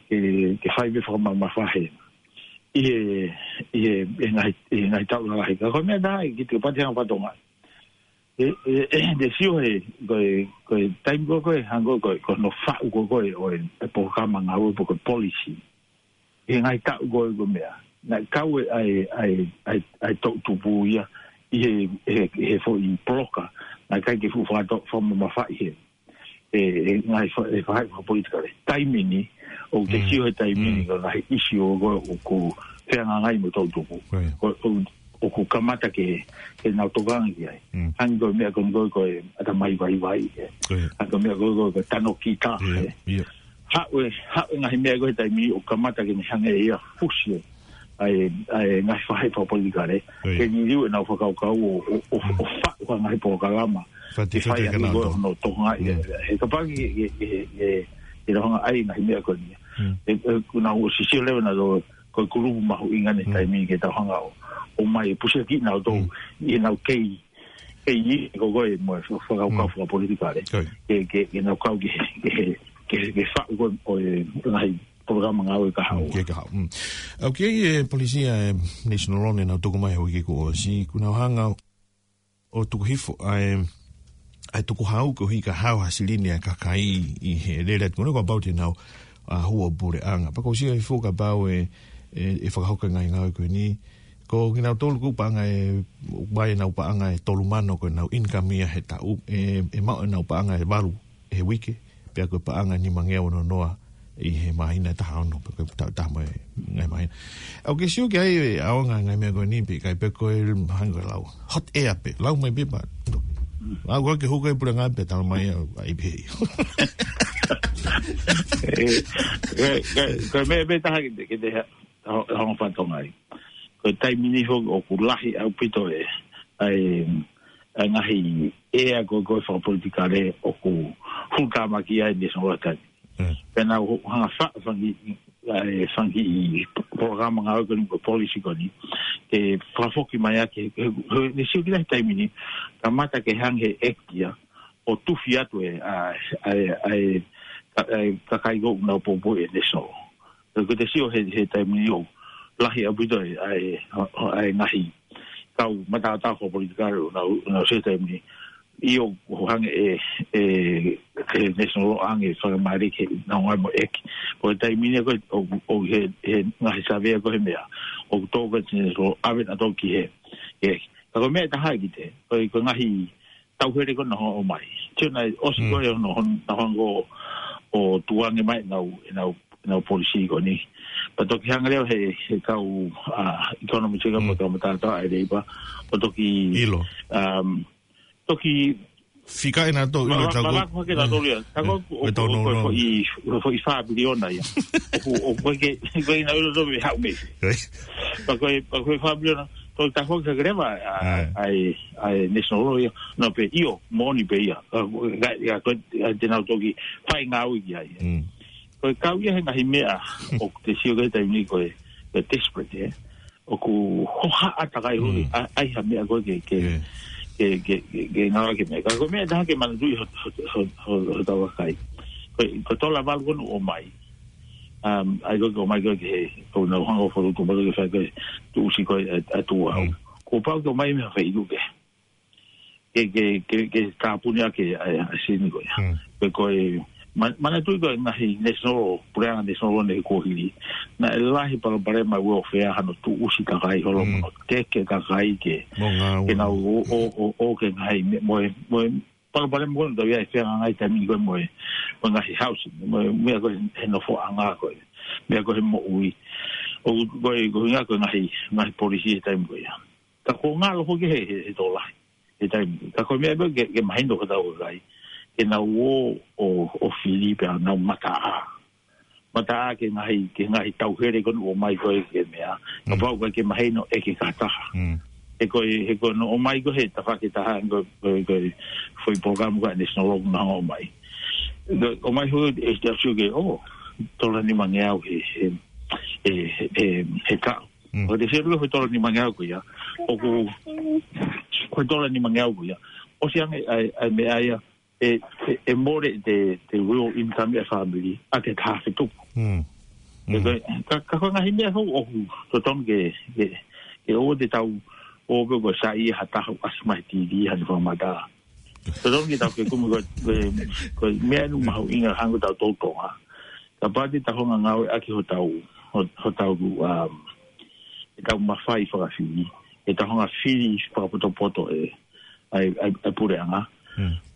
ke, ke fai pē fakamamafa he. ʻI he, ʻi he, ʻi he ngaahi, ʻi he ngaahi taʻu lalahi. Ka ko e meʻa tā, ʻe kiʻi pati hanga fatongia. ʻE, ʻe, ʻe, te sio he, ko e, ko e taimi ko ē, ko e hangē ko e, ko hono faʻu ko ē, ko e, ʻo e, e polokalama ngāue pe ko e policy. ʻI he ngaahi taʻu ko ē ko e meʻa. Naʻe kau e ʻa e, ʻa e, ʻa e, ʻa e toʻutupu ia ʻi he, he, he foʻi poloka. Naʻe ʻikai ke fuʻu fakato-, fakamamafaʻi he. E, e ngaahi fa-, e faʻahi fakapolitikale. Taimi ni, ʻoku te sio he taimi ni ko e ngaahi ʻisi ko ē ʻoku fehangahangai mo e toʻutupu. Ko, ko, ʻoku kamata ke, ke nau tokanga ki ai. Hangē ko e meʻa ko ē ko e, ko e ʻatamai vaivai, ē. Hangē ko e meʻa ko ē ko e, ko e tano kita, ē. Haʻu e, haʻu e ngaahi meʻa ko ē he taimi ʻoku kamata ke ne hanga ʻe ia fusi ʻa e, ʻa e ngaahi faʻahi fakapolitikale. Ke liliu ʻenau fakakaukau ʻo, ʻo, ʻo, ʻo faʻu ha ngaahi polokalama. Ke fai ʻaki ko ē hono tokangaʻi, ē. He kapau ke, ke, ke, ke, ke nau hanga ʻai ngaahi meʻa ko eni. ʻE, ʻe, ʻoku nau ʻosi sio leva nautolu ko e kulupu mahuʻinga he taimi ke tau hanga ʻo, ʻomai e pusiaki nautolu ʻi heʻenau kei, kei ʻi ko ē mo e fakakaukau fakapolitikale. Ke, ke, ke nau kau ke, ke, ke, ke faʻu ko ē ʻo e ngaahi polokalama ngāue kahaʻu. Ke kahaʻu. ʻOku ʻi ai e polisi ʻa e National Loan ʻenau tuku mai he uike kuo ʻosi, ʻoku nau hanga ʻo tuku hifo ʻa e, ʻa e tukuhau koeʻuhi ka hao ha silini ʻa e kakai ʻi he lele atu ko eni kuo pau te nau, ʻa, hū ʻo puleʻanga. Pea ʻoku ou sio hifo kapau ʻe, ʻe, ʻe fakahoko e ngaahi ngāue ko eni. Ko kinautolu ʻoku paʻanga ʻe, ʻoku ʻi ai ʻenau paʻanga ʻe tolu mano ko ʻenau income ia he taʻu, ʻe, ʻe maʻu ʻenau paʻanga ʻe valu he uike, pea ko e paʻanga ʻe nimangeau ono noa ʻi he māhina ʻe taha ono, pe ko e taʻu ʻe taha mo e ngaahi māhina. ʻOku ke sio ki ai e ʻaonga e ngaahi meʻa ko eni pe ʻikai pe ko e hangē ko e lau. Hot air pē, lau mai pē pea. Lau ko ē ke hū ko ē puleʻanga pea tala mai ʻa e ʻai pē. Ē, ko e, ko e, ko e meʻa pē taha ke te, ke te ha-, ha-, hanga fatongia ai. Ko e taimi ni foki ʻoku lahi ʻaupito e, ʻa e, ʻa e ngaahi ʻea ko ē ko ē fakapolitikale ʻoku hulutāmaki ai e National Loan. Pea nau hanga faʻu fanga kiʻi, ʻa e fanga kiʻi polokalama ngāue ko eni pe ko e policy ko eni. Ke fakafoki mai ʻaki, he, he, he, he sio ki he taimi ni, kamata ke hanga he ʻEiki ia, ʻo tufi atu e, ʻa, ʻa, ʻa, ʻa e, ka-, ʻa e kakai ko ē ʻoku nau poupou e National. Ko e, ko e te sio he, he taimi ni ʻoku lahi ʻaupito e, ʻa e, ʻa e, ʻa e ngaahi kau mataotao fakapolitikale ʻoku nau, ʻoku nau sio he taimi ni. ʻIo, ʻoku hanga ʻe, ʻe, ʻe National ʻo ʻoange fakamālie ke nau ngāue mo e ʻEiki. Ko e taimi ni ko ē, ʻo, ʻo he, he ngaahi savea ko ē he meʻa. ʻOku tō ko ē National ʻave nautolu ki he, he ʻEiki. Ka ko e meʻa ʻe taha ʻe kiʻi te, ko e, ko e ngaahi tauhele ko ē naʻa nau ʻomai. Sio naʻe ʻosi ko ē hono, hono, naʻa nau hanga ʻo, ʻo tukuange mai ʻenau, ʻenau, ʻenau policy ko eni. Pea toki hanga leva he, he kau, ʻa, economist ka mo e kau mataotao ʻa e Labour. ʻO toki, um, toki fika ʻe nautolu, ʻilo, ma-, ma-, tau ko-, malako hake nautolu ia. Tau ko-, ʻo, ko-, ko-, ko-, ko-, ko-, i, ko-, ko-, i fā piliona ia. ʻOku, ʻoku ʻikai ke, ʻikai ke nau ʻilo nautolu ʻe haʻu mei fē. Pea ko e, pea ko e fā piliona, toe tafoki hake leva ʻa, ʻa e, ʻa e National Law ia. Nau pehē ʻio, moʻoni pē ia. Ka, ka, ka, ka te nau toki fai ngāue ki ai. Ko e kau ia he ngaahi meʻa ʻoku te sio ki he taimi ni ko e, ko e desperate, ē. ʻOku hohaʻa takai huli, ʻa, ʻai ha meʻa ko ē ke, ke, ke, ke, ke, ke ngāueʻaki e meʻa. Ka ko e meʻa ʻe taha ke manatuʻi ho, ho, ho, ho, hotau kakai. Ko, ko e tola valu ko ē naʻe ʻomai. Um, ʻai ko ē ke ʻomai ko ē ke he, ko e nau hanga ʻo falu tu malu ke fai ko e tuʻusi ko ē ʻa, ʻa tuʻu au. Kuo pau ke ʻomai mei ha feituʻu kehe. Ke, ke, ke, ke tāpuni ʻaki ʻa, ʻa e sini ko ia. Pe ko e, ma-, manatuʻi ko e ngaahi national, puleʻanga national ne kuo hili. Naʻe lahi palopalema ʻi welfare hano tuʻusi kakai holo mo teke kakai ke, ke nau ō, ō, ō, ō ke ngaahi me-, mo e, mo e palopalema ko ē naʻa tau ʻi ai he fehangahangai taimi ni ko ē mo e, mo e ngaahi housing, mo e meʻa ko ē he nofoʻanga ko ē, meʻa ko ē he moʻui. ʻO ko e, ko e ngaahi, ko e ngaahi, ngaahi policy he taimi ko ia. Ka kuo ngalo foki he, he, he tokolahi. He taimi. Ka ko e meʻa pē ke, ke mahino ki hotau kakai. Ke nau ō, ʻo, ʻo fili pea nau mataʻā. Mataʻā ki he ngaahi, ki he ngaahi tauhele ko ē naʻe ʻomai ko ē ke meʻa. Kapau ʻoku ʻikai ke mahino ʻe he kātoa. He ko e, he ko e naʻe ʻomai ko ē he tafaʻaki ʻe taha, ko e, ko e, ko e foʻi polokalama ko ē National Law naʻe hanga ʻo ʻomai. Ko e ʻomai holo e te asu ke, ʻo, tola nimangeau he, he, he, he, he taʻu. Ko e te selu ko e tola nimangeau ko ia. ʻOku, ko e tola nimangeau ko ia. ʻOsi ange ʻa e, ʻa e meʻa ia, ʻe, ʻe, ʻe mole ʻete, ʻete real income ʻa e family, ʻa e taha fetuku. He ko e, ka, ka ko e ngaahi meʻa hou ʻoku, totonu ke, ke, ke ʻoua te tau, ʻoua pē ko e saiʻia ha taha ʻoku ʻasi mai he T V ha ne fakamatala. Totonu ke tau ke kumi ko e, ko e, ko e meʻa ʻoku mahuʻinga hangē ko ʻetau toutou ʻa. Kapau te tau hanga ngāueʻaki hotau, ho-, hotau, um, ʻetau mafai fakafili, ʻetau hanga fili fakapotopoto e, ʻa e, ʻa e, ʻa e puleʻanga.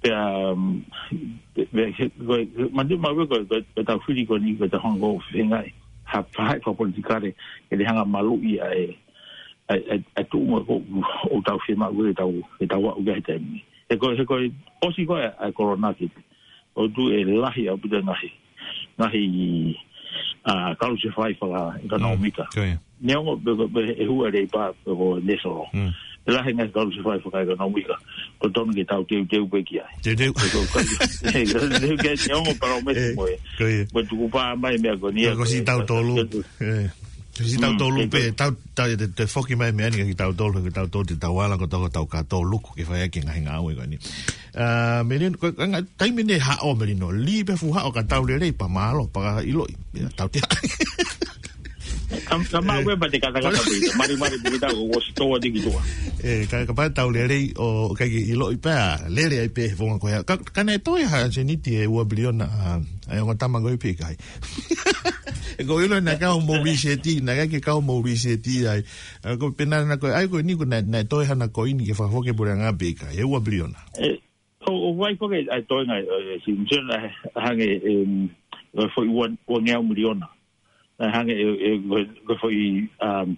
Pea, um, pe-, pe-, he, ko e, manatuʻi maʻu ko e, ko e, ko ʻetau fili ko eni, ko ʻetau hanga ʻo feingaʻi ha faʻahi fakapolitikale, ke ne hanga maluʻi ʻa e, ʻa e, ʻa e, ʻa e tuʻunga ko ē ʻoku tau fiemaʻu ke tau, ke tau aʻu ki ai he taimi ni. He ko e, he ko e ʻosi ko ē ʻa e kolona ki ʻOku tuʻu ʻe lahi ʻaupito ngaahi, ngaahi, ʻa, kalusefai fakaʻekonōmika. Neongo pe, pe, pe ʻe hū ʻa e leipa pe ko e national. ʻE lahi ngaahi kalusefai fakaʻekonōmika. Ko e tonu ke tau teuteu pē ki ai. Teuteu. Ko, ko, ko, he, ko, ko, ko, neongo palōmesi mo e. Mo e tukupā mai meʻa ko eni. Ko, ko si tau tolu. Ko si tau tolu pē, tau, tau, te, te foki mai meʻa ni ki tau tolu, ki tau tolu, te tau ala ko tau, tau ka tolu, ke fai ʻaki ngaahi ngāue ko eni. ʻA, Melino, ko, ka, taimi ne haʻo Melino, lī pē fuʻu haʻo ka tau lelei pea mālō, pea ʻiloʻi, ia, tau te haʻo. Kam, kam mau e pate kata kata pē, mari mari pē tau, ʻosi tō atu ki tuʻa. ʻE, ka, kapau tau lelei, ʻo, ʻikai ke ʻiloʻi pea, lele ai pē he fonga ko ia. Ka, ka naʻe toe ha seniti ʻe ua piliona, ʻa, ʻa e ongo tama ko ē pe ʻikai. ʻE ko ʻilo naʻe kau mo riseti, naʻe ʻikai ke kau mo riseti ai. ʻA, ko pena na ko, ʻai ko eni ko naʻe, naʻe toe hana ko eni ke fakafoki puleʻanga pe ʻikai, ʻe ua piliona. ʻE, ʻo, ʻo vai ko ke, ʻa e toenga, ʻe, si, si, ʻa, hangē, em, ʻo foʻi ua, ua ngeau miliona. ʻA, hangē, ʻe, ʻe, ko, ko foʻi, um,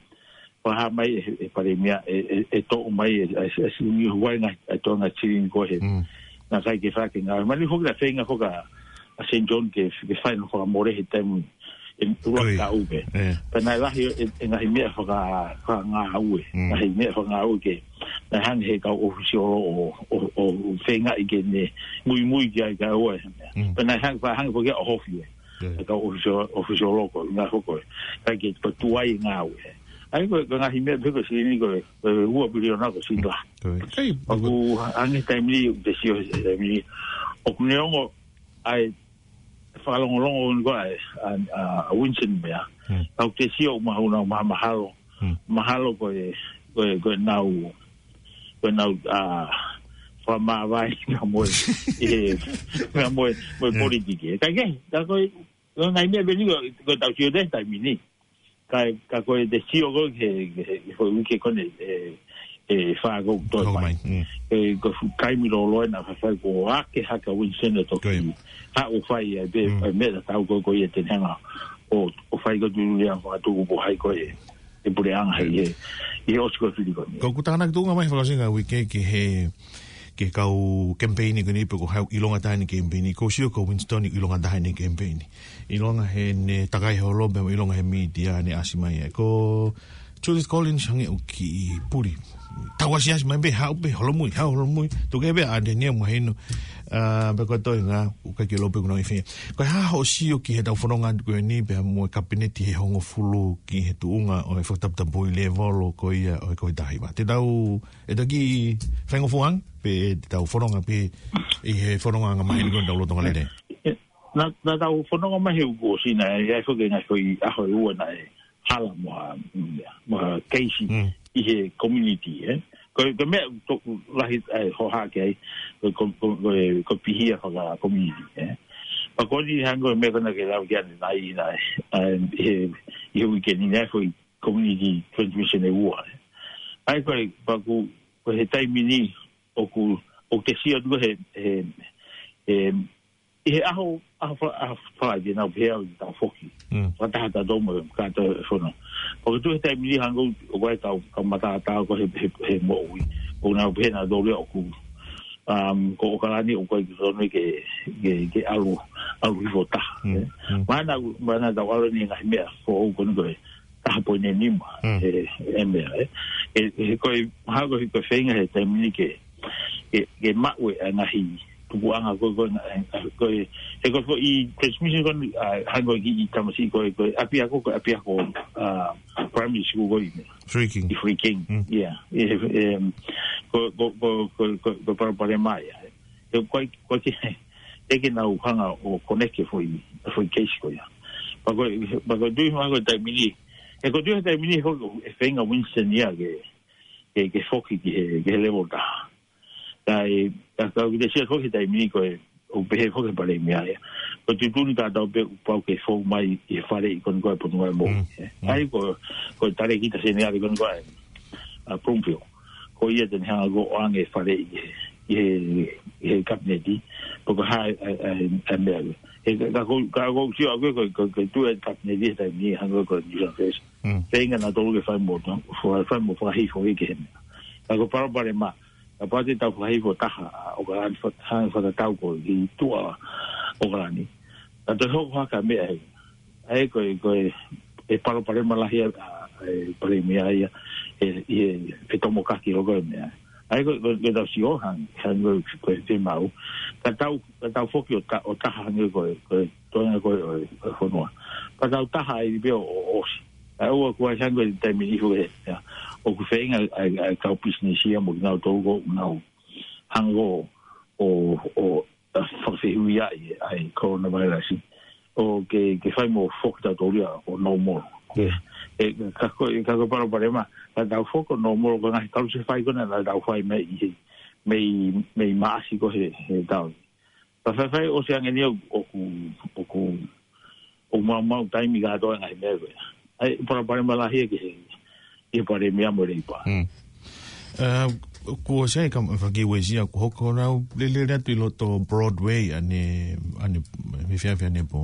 fakahā mai ʻe, ʻe Palēmia, ʻe, ʻe, ʻe toʻo mai, ʻe, ʻe, ʻe, si, ni huai ngā, ʻe toenga tiri ko ē. Naʻe ʻikai ke fai ke ngā. Mali foki la feinga foki ʻa Saint John ke, ke fai no fakamole he taimi ʻe ua ka upe. Pea naʻe lahi e, e ngaahi meʻa faka-, fakangāue. Ngaahi meʻa fakangāue ke, naʻe hangē he kau ʻōfisiolo ʻo, ʻo, ʻo feingaʻi ke ne muimui ki ai ka ua e meʻa. Pea naʻe hangē, fakahangē foki ʻo hofi e. E kau ʻōfisio-, ʻōfisiolo ko, ngā hoko e. Kai ke pa tuai ngāue. ʻAi ko, ko ngaahi meʻa pē ko sini ko, ko ua piliona ko sini la. ʻOku hangē taimi ni, te sio he taimi ni. ʻOku neongo ʻa e fakalongolongo ko ē ʻa e, ʻa, ʻa, ʻa Winston meʻa. Kau te sio ʻoku mahalo, mahalo. Mahalo ko e, ko e, ko e nau, ko e nau, ʻa, fakamāvae ka mo e, ʻi he, ka mo e, mo e politiki. Ka ke, ka ko e, ko e ngaahi meʻa pē ni ko, ko e tau sio te taimi ni. Ka, ka ko e te sio ko ē he, he, he foʻi uike ko eni, ʻe, ʻe fā ko ē toe mai. E, ko e fuʻu taimi lōloa naʻe fai ko ake hake ʻa Winston ʻo toki haʻu ʻo fai ai pē, e meʻa tatau ko ē ko ia te ne hanga ʻo, ʻo fai ko ē tuʻu ia fakatuku po hai ko ē, e puleʻanga ʻi he, ʻi he ʻosi ko ē fili ko eni. Ko ʻeku tānaki tuʻunga mai fakaʻosinga uike ki he, ke kau kemipeini ko eni pe ko hai ʻoku ʻilonga taha ʻene kemipeini. Ko e sio ko Winston ʻoku ʻilonga taha ʻene kemipeini. ʻIlonga heʻene takai holo pea mo ʻilonga he mītia ne ʻasi mai ai. Ko Judith Collins hangē ʻoku kiʻi puli. Tau asiasi mai pē haʻu pē holomui, haʻu holomui. Tuku pē ʻa Daniel mahino. Ah, pe ko e toenga, ʻoku ʻikai ke ʻilo pe ʻoku nau ʻi fē. Ko e hā hoʻo sio ki heʻetau fononga ko eni pea mo e kapineti he hongofulu ki he tuʻunga ʻo e fakataputapui lēvolo ko ia ʻo e Covid taha hiva. Te tau, ʻe toki faingofua ange, pe te tau fononga pē ʻi he fononga anga maheni ko eni ʻetau lolotonga lelei. Naʻa, naʻa tau fononga mai he uike kuo ʻosi naʻe ʻi ai foki e ngaahi foʻi ʻaho ʻe ua naʻe hala mo ha, mo ha keisi Mm. ʻi he community, ē. Ko, ko e meʻa ʻoku lahi ai hohaʻa ki ai, ko, ko, ko, ko, ko e pihia faka-community, ē. Pea ko eni hangē ko e meʻa ko ena ke lau ki ai ʻanenai, naʻe, ʻa, ʻi he, ʻi he uike ni naʻe foʻi community transmission ʻe ua, ē. ʻA ia ko e, pea ko, ko e he taimi ni, ʻoku, ʻoku te sio atu he, he, he, ʻi he ʻaho, ʻaho fa-, ʻaho Friday naʻa ku pehē au te tau foki. Mm. Fakataha tautolu mo e kātoa e fono. Pea ko e tuʻu he taimi ni hangē ʻoku ʻi ai e kau, kau mataotao ko ē he, he, he moʻui. ʻOku nau pehē nautolu ia ʻoku, um, ko ʻOkalani ʻoku ʻikai ke totonu ke, ke, ke ʻalu, ʻalu hifo taha, Mm. ē. Mm. Mahalo, mahalo naʻa tau ʻalu eni he ngaahi meʻa foʻou ko eni ko e taha poini nima, Mm. he, he meʻa, ē. He, he ko e, mahalo ko e, ko e feinga he taimi ni ke, ke, ke maʻu e ngaahi tupuʻanga ko, ko, ko, he ko e foʻi transmission ko eni, ʻa, hangē ko e kiʻi tamasiʻi ko e, ko e ʻapiako, ko e ʻapiako, ah, primary school ko eni. Freaking. ʻI Freaking. Mm. Yeah. E, em, ko, ko, ko e palopalema ia. He ko e, ko e ke, ʻe ke nau hanga ʻo connect e foʻi, foʻi case ko ia. Pea ko, pea ko e tui mahalo ko e taimi ni. He ko e tui he taimi ni, he ko e feinga Winston ia ke, ke, ke foki ki he, ki he level taha. Ka e, ka, ka ʻoku te sio foki he taimi ni ko e, ʻoku pehē foki he palēmia ia. Ko e tuʻutuʻuni kātoa pē ʻoku pau ke fou mai ʻi he faleʻi ko eni ko e Potungāue Moʻui. Mm, mm. ʻA ia ko, ko e talēkita seniale ko eni ko e, ʻa Bloomfield. Ko ia te ne hanga ʻo ʻoange e faleʻi ʻi he, ʻi he, ʻi he kapineti. Pea ko e hā e, e, e, e meʻa. He ka, ka ko, ka ko sio ʻaku ko, ko, ko e tuʻu e kapineti he taimi ni hangē ko e New South Wales. Mm. Feinga nautolu ke fai mo, fai, fai mo fakahifo ki he meʻa. Ka ko e palopalema, kapau te tau fakahifo taha ʻa ʻOkalani, fak-, hanga fakatatau ko e tuʻa ʻOkalani. Ka toe hoko hake ha meʻa heni. ʻA ia ko e, ko e, e palopalema lahi ʻa, ʻa e palēmia ia, ʻi he, ʻi he fetomokaki hoko e meʻa. ʻA ia ko e, ko e, ko e tau sio hangē, hangē ko e, ko e fiemaʻu. Ka tau, ka tau foki ʻo ta-, ʻo taha hangē ko e, ko e toenga ko e, ʻo e, ʻo e fonua. Ka tau taha ai pē ʻo, ʻo ʻosi. ʻA ia ʻoku ʻi ai hangē ko e taimi ni foki ē, ia. ʻOku feinga ʻa e, ʻa e kau pisinisi ia mo kinautolu ʻoku nau hanga ʻo, ʻo, ʻo, ʻa, fakafehuʻia ʻa e, ʻa e coronavirus. ʻO ke, ke fai mo foki tautolu ia ʻo normal. Yeah. E, ka ko e, ka ko e palopalema, ka tau foki ʻo normal ko e ngaahi kalusefai ko ena naʻa tau fai mei he, mei, mei Maʻasi ko ē he, he taʻu ni. Ka faifai ʻosi ange eni ʻoku, ʻoku, ʻoku maumau taimi kātoa e ngaahi meʻa ko ia. ʻA ia, palopalema lahi ia ki he, ki he palēmia mo e Leipa. Mm. Eh, kuo ʻosi ai ka faki uesia kuo hoko nau lele atu ʻi loto Broadway ʻanenai, ʻanenai, efiafi ʻanepō.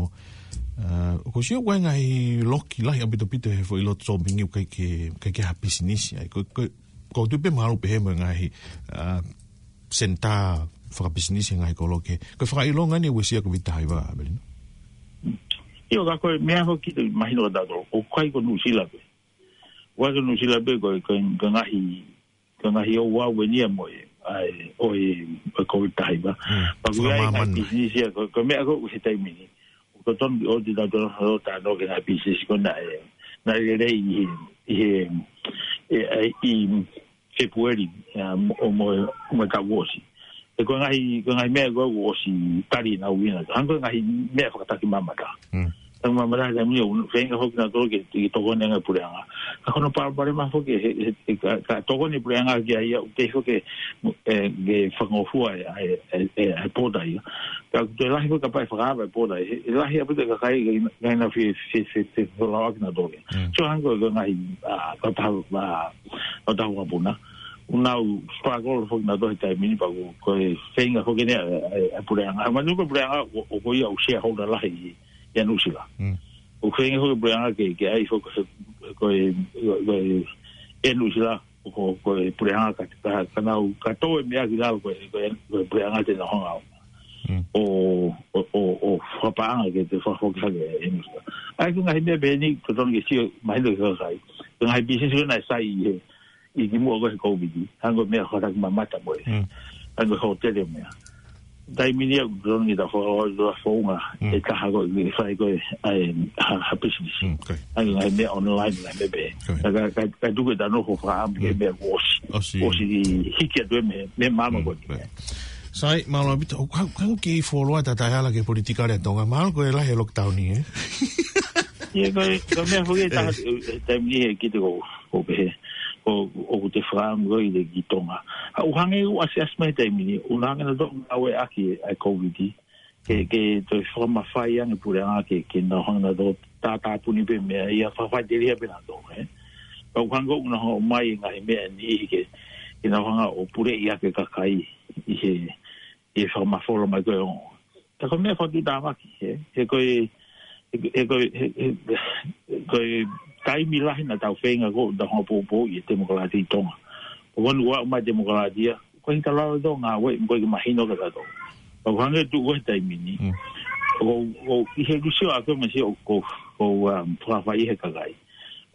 Eh, kuo ʻosi ʻoku ʻi ai e ngaahi loki lahi ʻaupito he foʻi loto sōpingi ʻoku ʻikai ke, ʻikai ke ha pisinisi. ʻA ia, ko, ko, ko e tuʻu pē mahalo pehē mo e ngaahi, eh, senitā fakapisinisi he ngaahi kolo kehe. Ko e fakaʻilonga eni e uesia Covid taha hiva, Avelino. ʻIo, ka ko e meʻa foki ke mahino kiate kitautolu, ʻoku ʻikai ko Nuʻusila pē. ʻOku ʻikai ko Nuʻusila pē ko e, ko e, ko e ngaahi, ko e ngaahi ouau eni ia mo e, ʻa e, ʻo e, ʻo e Covid taha hiva. Mm. Pea ʻoku ʻi ai e ngaahi Fakamāmani. Pisinisi ia, ko, ko e meʻa ko ē he taimi ni. ʻOku totonu ʻo te tau tau tau tau ke ngaahi pisinisi ko ena ʻe, naʻe lelei ʻi he, ʻi he, ʻi, ʻi, ʻi Fēpueli, ʻa, mo, mo, mo e taʻu kuo ʻosi. He ko e ngaahi, ko e ngaahi meʻa ko ē kuo ʻosi tali ʻenau ina. Hangē ko e ngaahi meʻa fakataki mamata. Mm. Taki mamata he taimi ni ʻoku feinga foki nautolu ke, ke tokoni ange e puleʻanga. Ka ko hono palopalema foki he, he, he ka, ka tokoni e puleʻanga ki ai ʻoku ʻikai foki ke, e, ke fakangofua e, e, e, e, e pōta ia. Ka ʻoku toe lahi foki kapau ʻe fakaava e pōta ia. He, he lahi ʻaupito e kakai ke ina, ke ina fie, fie, fie, fie, fie lau ʻaki nautolu ia. Mm. So hangē ko e ngaahi, ʻa, kautaha, ʻa, kautaha vakapuna. ʻOku nau struggle foki nautolu he taimi ni pea ko, ko e feinga foki eni ʻa e, ʻa e, ʻa e puleʻanga. Manatuʻi ko e puleʻanga, ʻoku, ʻoku ko ia ʻoku shareholder lahi ʻi, ʻia Nuʻusila. Mm. ʻOku feinga foki e puleʻanga ke, ke ʻai foki ko e, ko e, ko e, ʻia Nuʻusila. ko, ko e puleʻanga ka, ka, ka nau, ka tō e meʻa ki lalo ko e, ko e, ko e puleʻanga te nau hanga ʻo, ʻo, ʻo, ʻo, ʻo fakapaʻanga ke te fakafoki hake e nusu. ʻA ia ko e ngaahi meʻa pehē ni, totonu ke sio, mahino ki he kakai. Ko e ngaahi business ko ē naʻe sai ʻi he, ʻi ki muʻa ko ē he Covid. Hangē ko e meʻa hoʻatā ki mamata mo e. Hangē ko e hōtele mo e meʻa. Taimi ni ʻoku totonu ke ta fo-, ta founga e taha ko e fai ko e, ʻa e, ha, ha business. Hangē ko e ngaahi meʻa online, ngaahi meʻa pehē. Ka, ka, ka, ka tuku e ta nofo fakaʻamu ki he meʻa kuo ʻosi. ʻOsi. ʻOsi hiki atu e meʻa, meʻa māmā ko ē. Sai, mālō ʻaupito, ʻoku, ʻoku, ʻoku kiʻi fuoloa ta taʻehala ki he politikale ʻa Tonga, mahalo ko e lahi e lockdown ni, ē? ʻIo, ko e, ko e meʻa foki ʻe taha, e, taimi ni ʻe kiʻi te ko, ko pehē, ko, ʻoku te fakaʻamu ko ē ki Tonga. ʻA, ʻoku hangē ʻoku ʻasi, ʻasi mai taimi ni, ʻoku nau hanga ʻo ngāueʻaki ʻa e Covid. Ke, ke toe fakamafai ange puleʻanga ke, ke nau hanga ʻo tātāpuni pē meʻa ia fakafaʻiteliha pē nautolu, ē. Ka ʻoku hangē ʻoku nau hanga ʻo ʻomai e ngaahi meʻa ni ke, ke nau hanga ʻo puleʻi ʻaki e kakai ʻi he, ʻi he fakamafola mai ko ē ʻo. Ka ko e meʻa fakatuʻutāmaki, ē. He ko e, he, he ko e, he, he, ko e taimi lahi naʻa tau feinga ko ē, tau hanga ʻo poupouʻi e temokalati ʻi Tonga. ʻO wanu ua mai temokalati ia, ko e hita lalo tō ngāue, ko e ke mahino ka tato. Ka ʻoku hangē tuʻu ko ē he taimi ni. ʻO, ʻo, ʻi he kusi ʻa ko e masi ʻo, ko, ko, um, fakafai he kakai.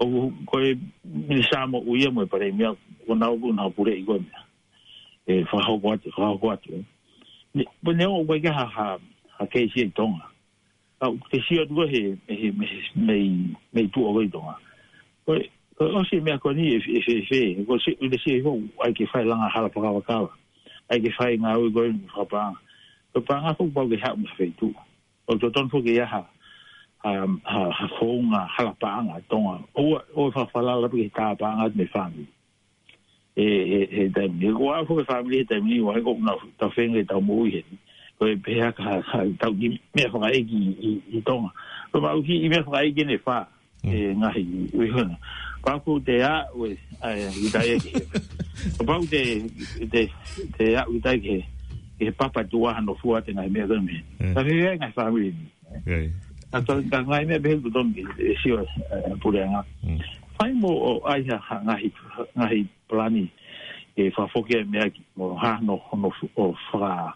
ʻO, ko e minisitā moʻui ia mo e palēmia, ko nau, ko nau puleʻi ko e meʻa. ʻE, fakahoko atu, fakahoko atu, ē. Ne, ko ne o, ko e ke ha, ha, ha keisi ʻi Tonga. ʻA, ʻoku te sio atu ko ē he, he, he, he, mei, mei tuʻa ko ē ʻi Tonga. Ko e, ko e ʻosi e meʻa ko eni ʻe, ʻe, ʻe, ʻe, ko e si-, ʻe, ʻe, ʻe, ʻai ke fai langa hala fakavakava. ʻAi ke fai ngāue ko ē fakapaʻanga. Ko e paʻanga foki pau ke haʻu mei ha feituʻu. ʻOku totonu foki ke ʻi ai ha, ha, ha, ha founga hala paʻanga ʻa Tonga. ʻOua, ʻoua fakafalala pē ki he tā paʻanga atu mei he fāmili. ʻE, ʻe, he taimi ni. Ko au foki e fāmili he taimi ni, ʻoku ʻikai ko ʻeku nau tau feinga ke tau moʻui heni. Ko e pehē ha, ha, ha, tau kiʻi meʻa fakaʻeiki ʻi, ʻi, ʻi Tonga. Ko e maʻu kiʻi meʻa fakaʻeiki ʻe fā. ʻE ngaahi, ui hona. Pau ko te a, ue, ai, i tai ʻe. Pau te, te, te a, ui tai ke, ke papa tua hano fua te ngaahi meʻa ko ē mei. Ka fē ngaahi fāmili ni. ʻA to, ka ngaahi meʻa pehē ʻoku totonu ke, ʻe sio, ʻe, puleʻanga. Fai mo ʻai ha, ha, ngaahi, ngaahi palani, ʻe fakafoki e meʻa ki, mo ha, no, no, ʻo faka,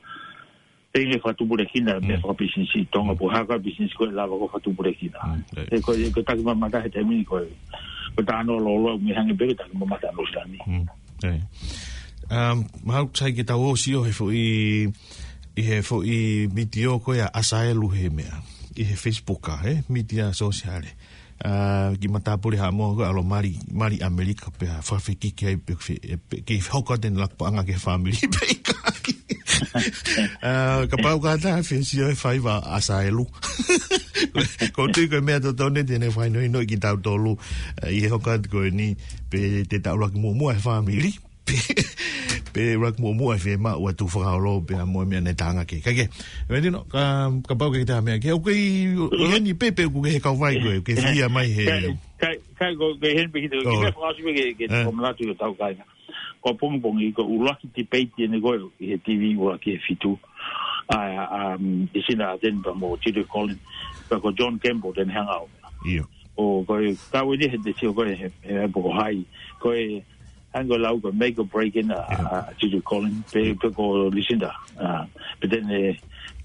te ne fakatupulekina, meʻa fakapisinisi ʻi Tonga, po ha ka pisinisi ko ē lava ko e fakatupulekina. ʻE ko, ko e taki mamata he taimi ni ko e, ko e tā no lolo, mei hangē pē ko e taki mamata no sani. Um, mahalo sai ke tau ō ʻo sio he foʻi, ʻi he foʻi mitiō ko ē ʻa ʻAsaelu he meʻa. ʻI he Facebook ʻa, he mitiō sōsiale. ʻA, ki matāpule ha mo ko alo mali, mali ʻAmelika pea fakafekiki ai pe, pe, ke hoko atu e laku paʻanga ki he fāmili pe ʻikai. ʻA, kapau ka ta fie sio he faiva ʻa ʻAsaelu. Ko e tui ko e meʻa totonu te ne fakahinohinoʻi kitautolu, ʻa, ʻi he hoko atu ko eni, pe te ta ʻuluaki muʻomuʻa he fāmili. Pe, pe ʻuluaki muʻomuʻa e fiemaʻu atu fakaolo pea mo e meʻa ne tangaki. Ka ke, Valentino, ka, kapau ke ta meʻa ke, ʻoku ke ʻi, ʻo eni pē pe ʻoku ke he kauvai ko ē, ke fia mai he. Kai, kai, kai ko, ke hen pe kita, ke fakaʻosi pe ke, ke ko manatu ko tau kai. Ko pongipongi ko e ʻuluaki debate eni ko ē, ʻi he T V ʻuluaki he fitu. ʻA, um, ʻi Sina Aten pea mo Judy Collins, pea ko John Campbell te ne hanga ʻo. ʻIo. ʻO ko e, ka ue ni he te sio ko e, he, he, he poko hai. Ko e, hangē ko e lau ko e make or break ʻena, ʻa, ʻa, Judy Collins, pe, pe ko Lucinda, ʻa, pe te ne,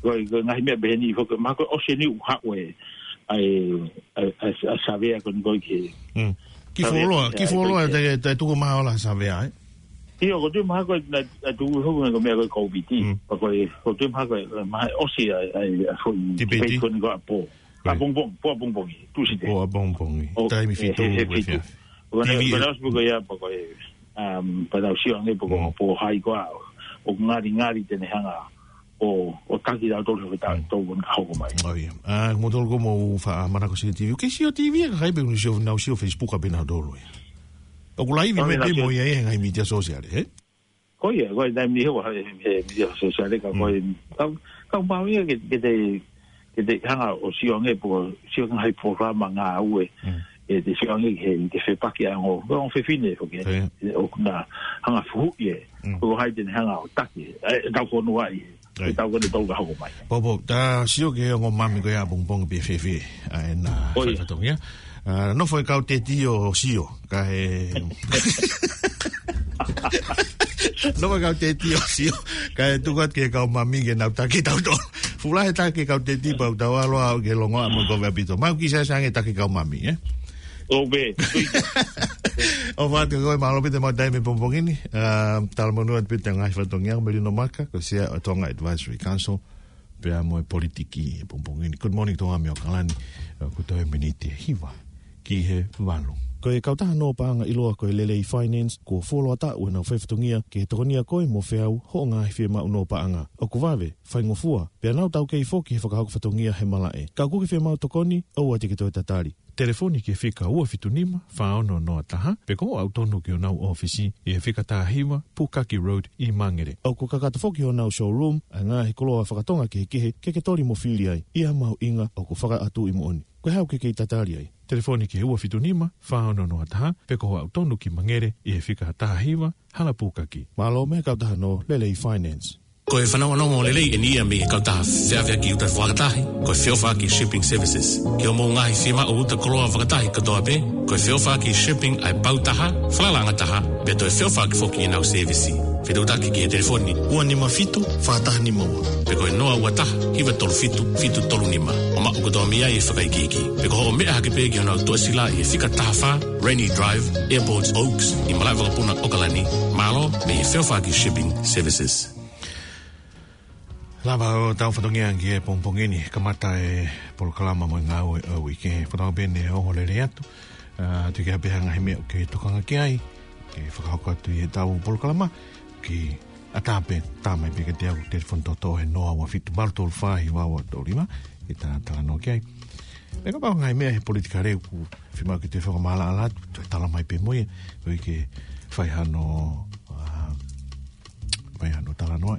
ko e, ko e ngaahi meʻa pehē ni, ko e, mahalo ko e ʻosi eni ʻoku haʻu e, ʻa e, ʻa e, ʻa e, ʻa e savea ko eni ko e ke. Ki fuoloa, ki fuoloa, te, te tuku maha ola savea, ē? ʻIo, ko e tui mahalo ko e, na, na tuku hoku ko e meʻa ko e Covid. Pea ko e, ko e tui mahalo ko e, mahalo ʻosi ʻa e, ʻa e, ʻa e foʻi debate ko eni ko ʻapō. ʻApongipongi, pō ʻapongipongi, Tuesday. Pō ʻapongipongi. Taimi fitu, he, he fitu. Ko e, ko e ʻosi pe ko ia, pe ko e, um, pea tau sio ange pe ko, pe ko hai ko ā, ʻoku ngalingali te ne hanga ʻo, ʻo taki tautolu he taimi ʻoku hoko mai. ʻA, mou tolu ko mou faʻa manako sio T V. ʻOku ke sio T V, ka kai pe ʻoku nau sio, nau sio Facebook ʻa pē nautolu ia. ʻOku laivi mai pē mo ia he ngaahi mitiō sōsiale, ē? Ko ia, ko e taimi ni he, he, he mitiō sōsiale ka ko e, ka, ka mau ia ke, ke te, ke te hanga ʻo sio ange pe ko e, sio ange he polokalama ngāue, ʻe te sio ange he, he fepaki ʻa e ongo, ko e ongo fefine foki, ʻoku na hanga fuhu ia, ko hai te ne hanga ʻo taki, ʻe, tau kono ai, ʻe tau kono tau ka hoko mai. Popo, ta sio ki he ongo mami ko ia ʻapongipongi pe fefe, ʻa ʻena fakatongia. ʻA, nofo e kau teti ʻo sio, ka he Nofo kau teti ʻo sio. Kae tuku atu ki he kau mami ke nau taki tautolu. Fuʻu lahi e taki kau teti pea ʻoku tau ʻalu ʻo ke longoaʻa mo e kovi ʻaupito. Mau kei saisange taki kau mami, ē? ʻO pē. ʻOfa atu kiate koe, mālō ʻaupito e maʻu taimi he pongipongi ni. Ah, talamonū atu pē ki he ngaahi fatongia, Melino Maka, ko e Sea ʻo e Tonga Advisory Council, pea mo e politiki he pongipongi ni. Good morning, Tonga mei ʻAokalani, eh, kuo toe miniti ʻe hiva ki he valu. Ko e kautaha nō paʻanga ʻiloa ko e Lelei Finance, kuo fuoloa taʻu ʻenau faifatongia ke tokonia koe mo feau hoʻo ngaahi fiemaʻu nō paʻanga. ʻOku vave, faingofua, pea nau taukei foki he fakahoko fatongia he malaʻe. Ka ʻoku ke fiemaʻu tokoni, ʻoua te ke toe tatali. Telefoni ki he fika ua fitu nima, fā ono noa taha, pe ko hoʻo aʻu tonu ki honau ʻōfisi ʻi he fika taha hiva, Pukaki Road ʻi Mangere. ʻOku kakato foki honau showroom ʻa e ngaahi koloa fakatonga kehekehe ke ke toli mo fili ai. ʻI ha mahuʻinga ʻoku fakaʻatuʻi moʻoni. Ko e hā ʻoku ke kei tatali ai? Telefoni ki he ua fitu nima, fā ono noa taha, pe ko hoʻo aʻu tonu ki Mangere ʻi he fika taha hiva, Hala Pukaki. Mālō mei he kautaha nō Lelei Finance. Ko e fanongonongo lelei eni ia mei he kautaha feʻaveʻaki uta fakatahi, ko e Feʻofaʻaki Shipping Services. Ki hoʻomou ngaahi fiemaʻu uta koloa fakatahi kotoa pē, ko e Feʻofaʻaki Shipping ʻa e pau taha, falalaʻanga taha, pea toe feʻofaʻaki foki ʻenau sēvisi. Fetuʻutaki ki he telefoni ua nima fitu, fā taha nima ua, pe ko e noa ua taha, hiva tolu fitu, fitu tolu nima. ʻO maʻu kotoa mei ai e fakaikiiki. Pe ko hoʻo meʻa hake pē ki honau tuʻasila ʻi he fika taha fā, Rainy Drive, Airport Oaks, ʻi Malaʻevakapuna, ʻAokalani. Mālō mei he Feʻofaʻaki Shipping Services. Lava ʻo tau fatongia ki he pongipongi ni, kamata e polokalama mo e ngāue ʻo e uike. Fakatauange pē ne ongo lelei atu, ah, tuku ke ʻai pē ha ngaahi meʻa ʻoku ke tokanga ki ai, ke fakahoko atu ʻi heʻetau polokalama, ke ʻatā pē, tā mai pē kiate au, telefoni toʻotoʻo he noa ua fitu, valu tolu fā, hiva ua tolu nima, ke ta talanoa ki ai. Pea kapau ngaahi meʻa he politikale ʻoku fiemaʻu ke te fakamaʻalaʻala atu, toe tala mai pē mo ia, ʻoku ʻikai ke fai hano, ah, fai hano talanoa.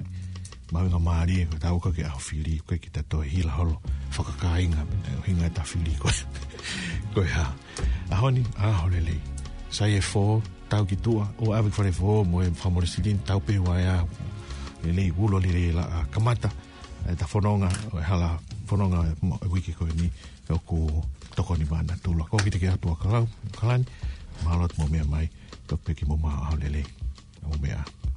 Mahuʻinga mālie, ko e tau ka ke ʻaho fili, ko e kita toe hila holo fakakāinga, mena ʻuhinga ʻeta fili ko e, ko e hā. ʻAho ni, ʻaho lelei. Sai e fō, tau ki tuʻa, ʻoua ʻave ki fale fō, mo e fakamole silini, tau pē ua ea. Lelei, ulo lelei la, ah, kamata ʻeta fononga, ʻo e hala fononga mo e uike ko eni, ʻoku tokoni mai ʻa Natula. Ko kita ki atu ʻAokalani, ʻAokalani, mālō atu mo e meʻa mai, toki pē ki mo ma ʻaho lelei. ʻO meʻa.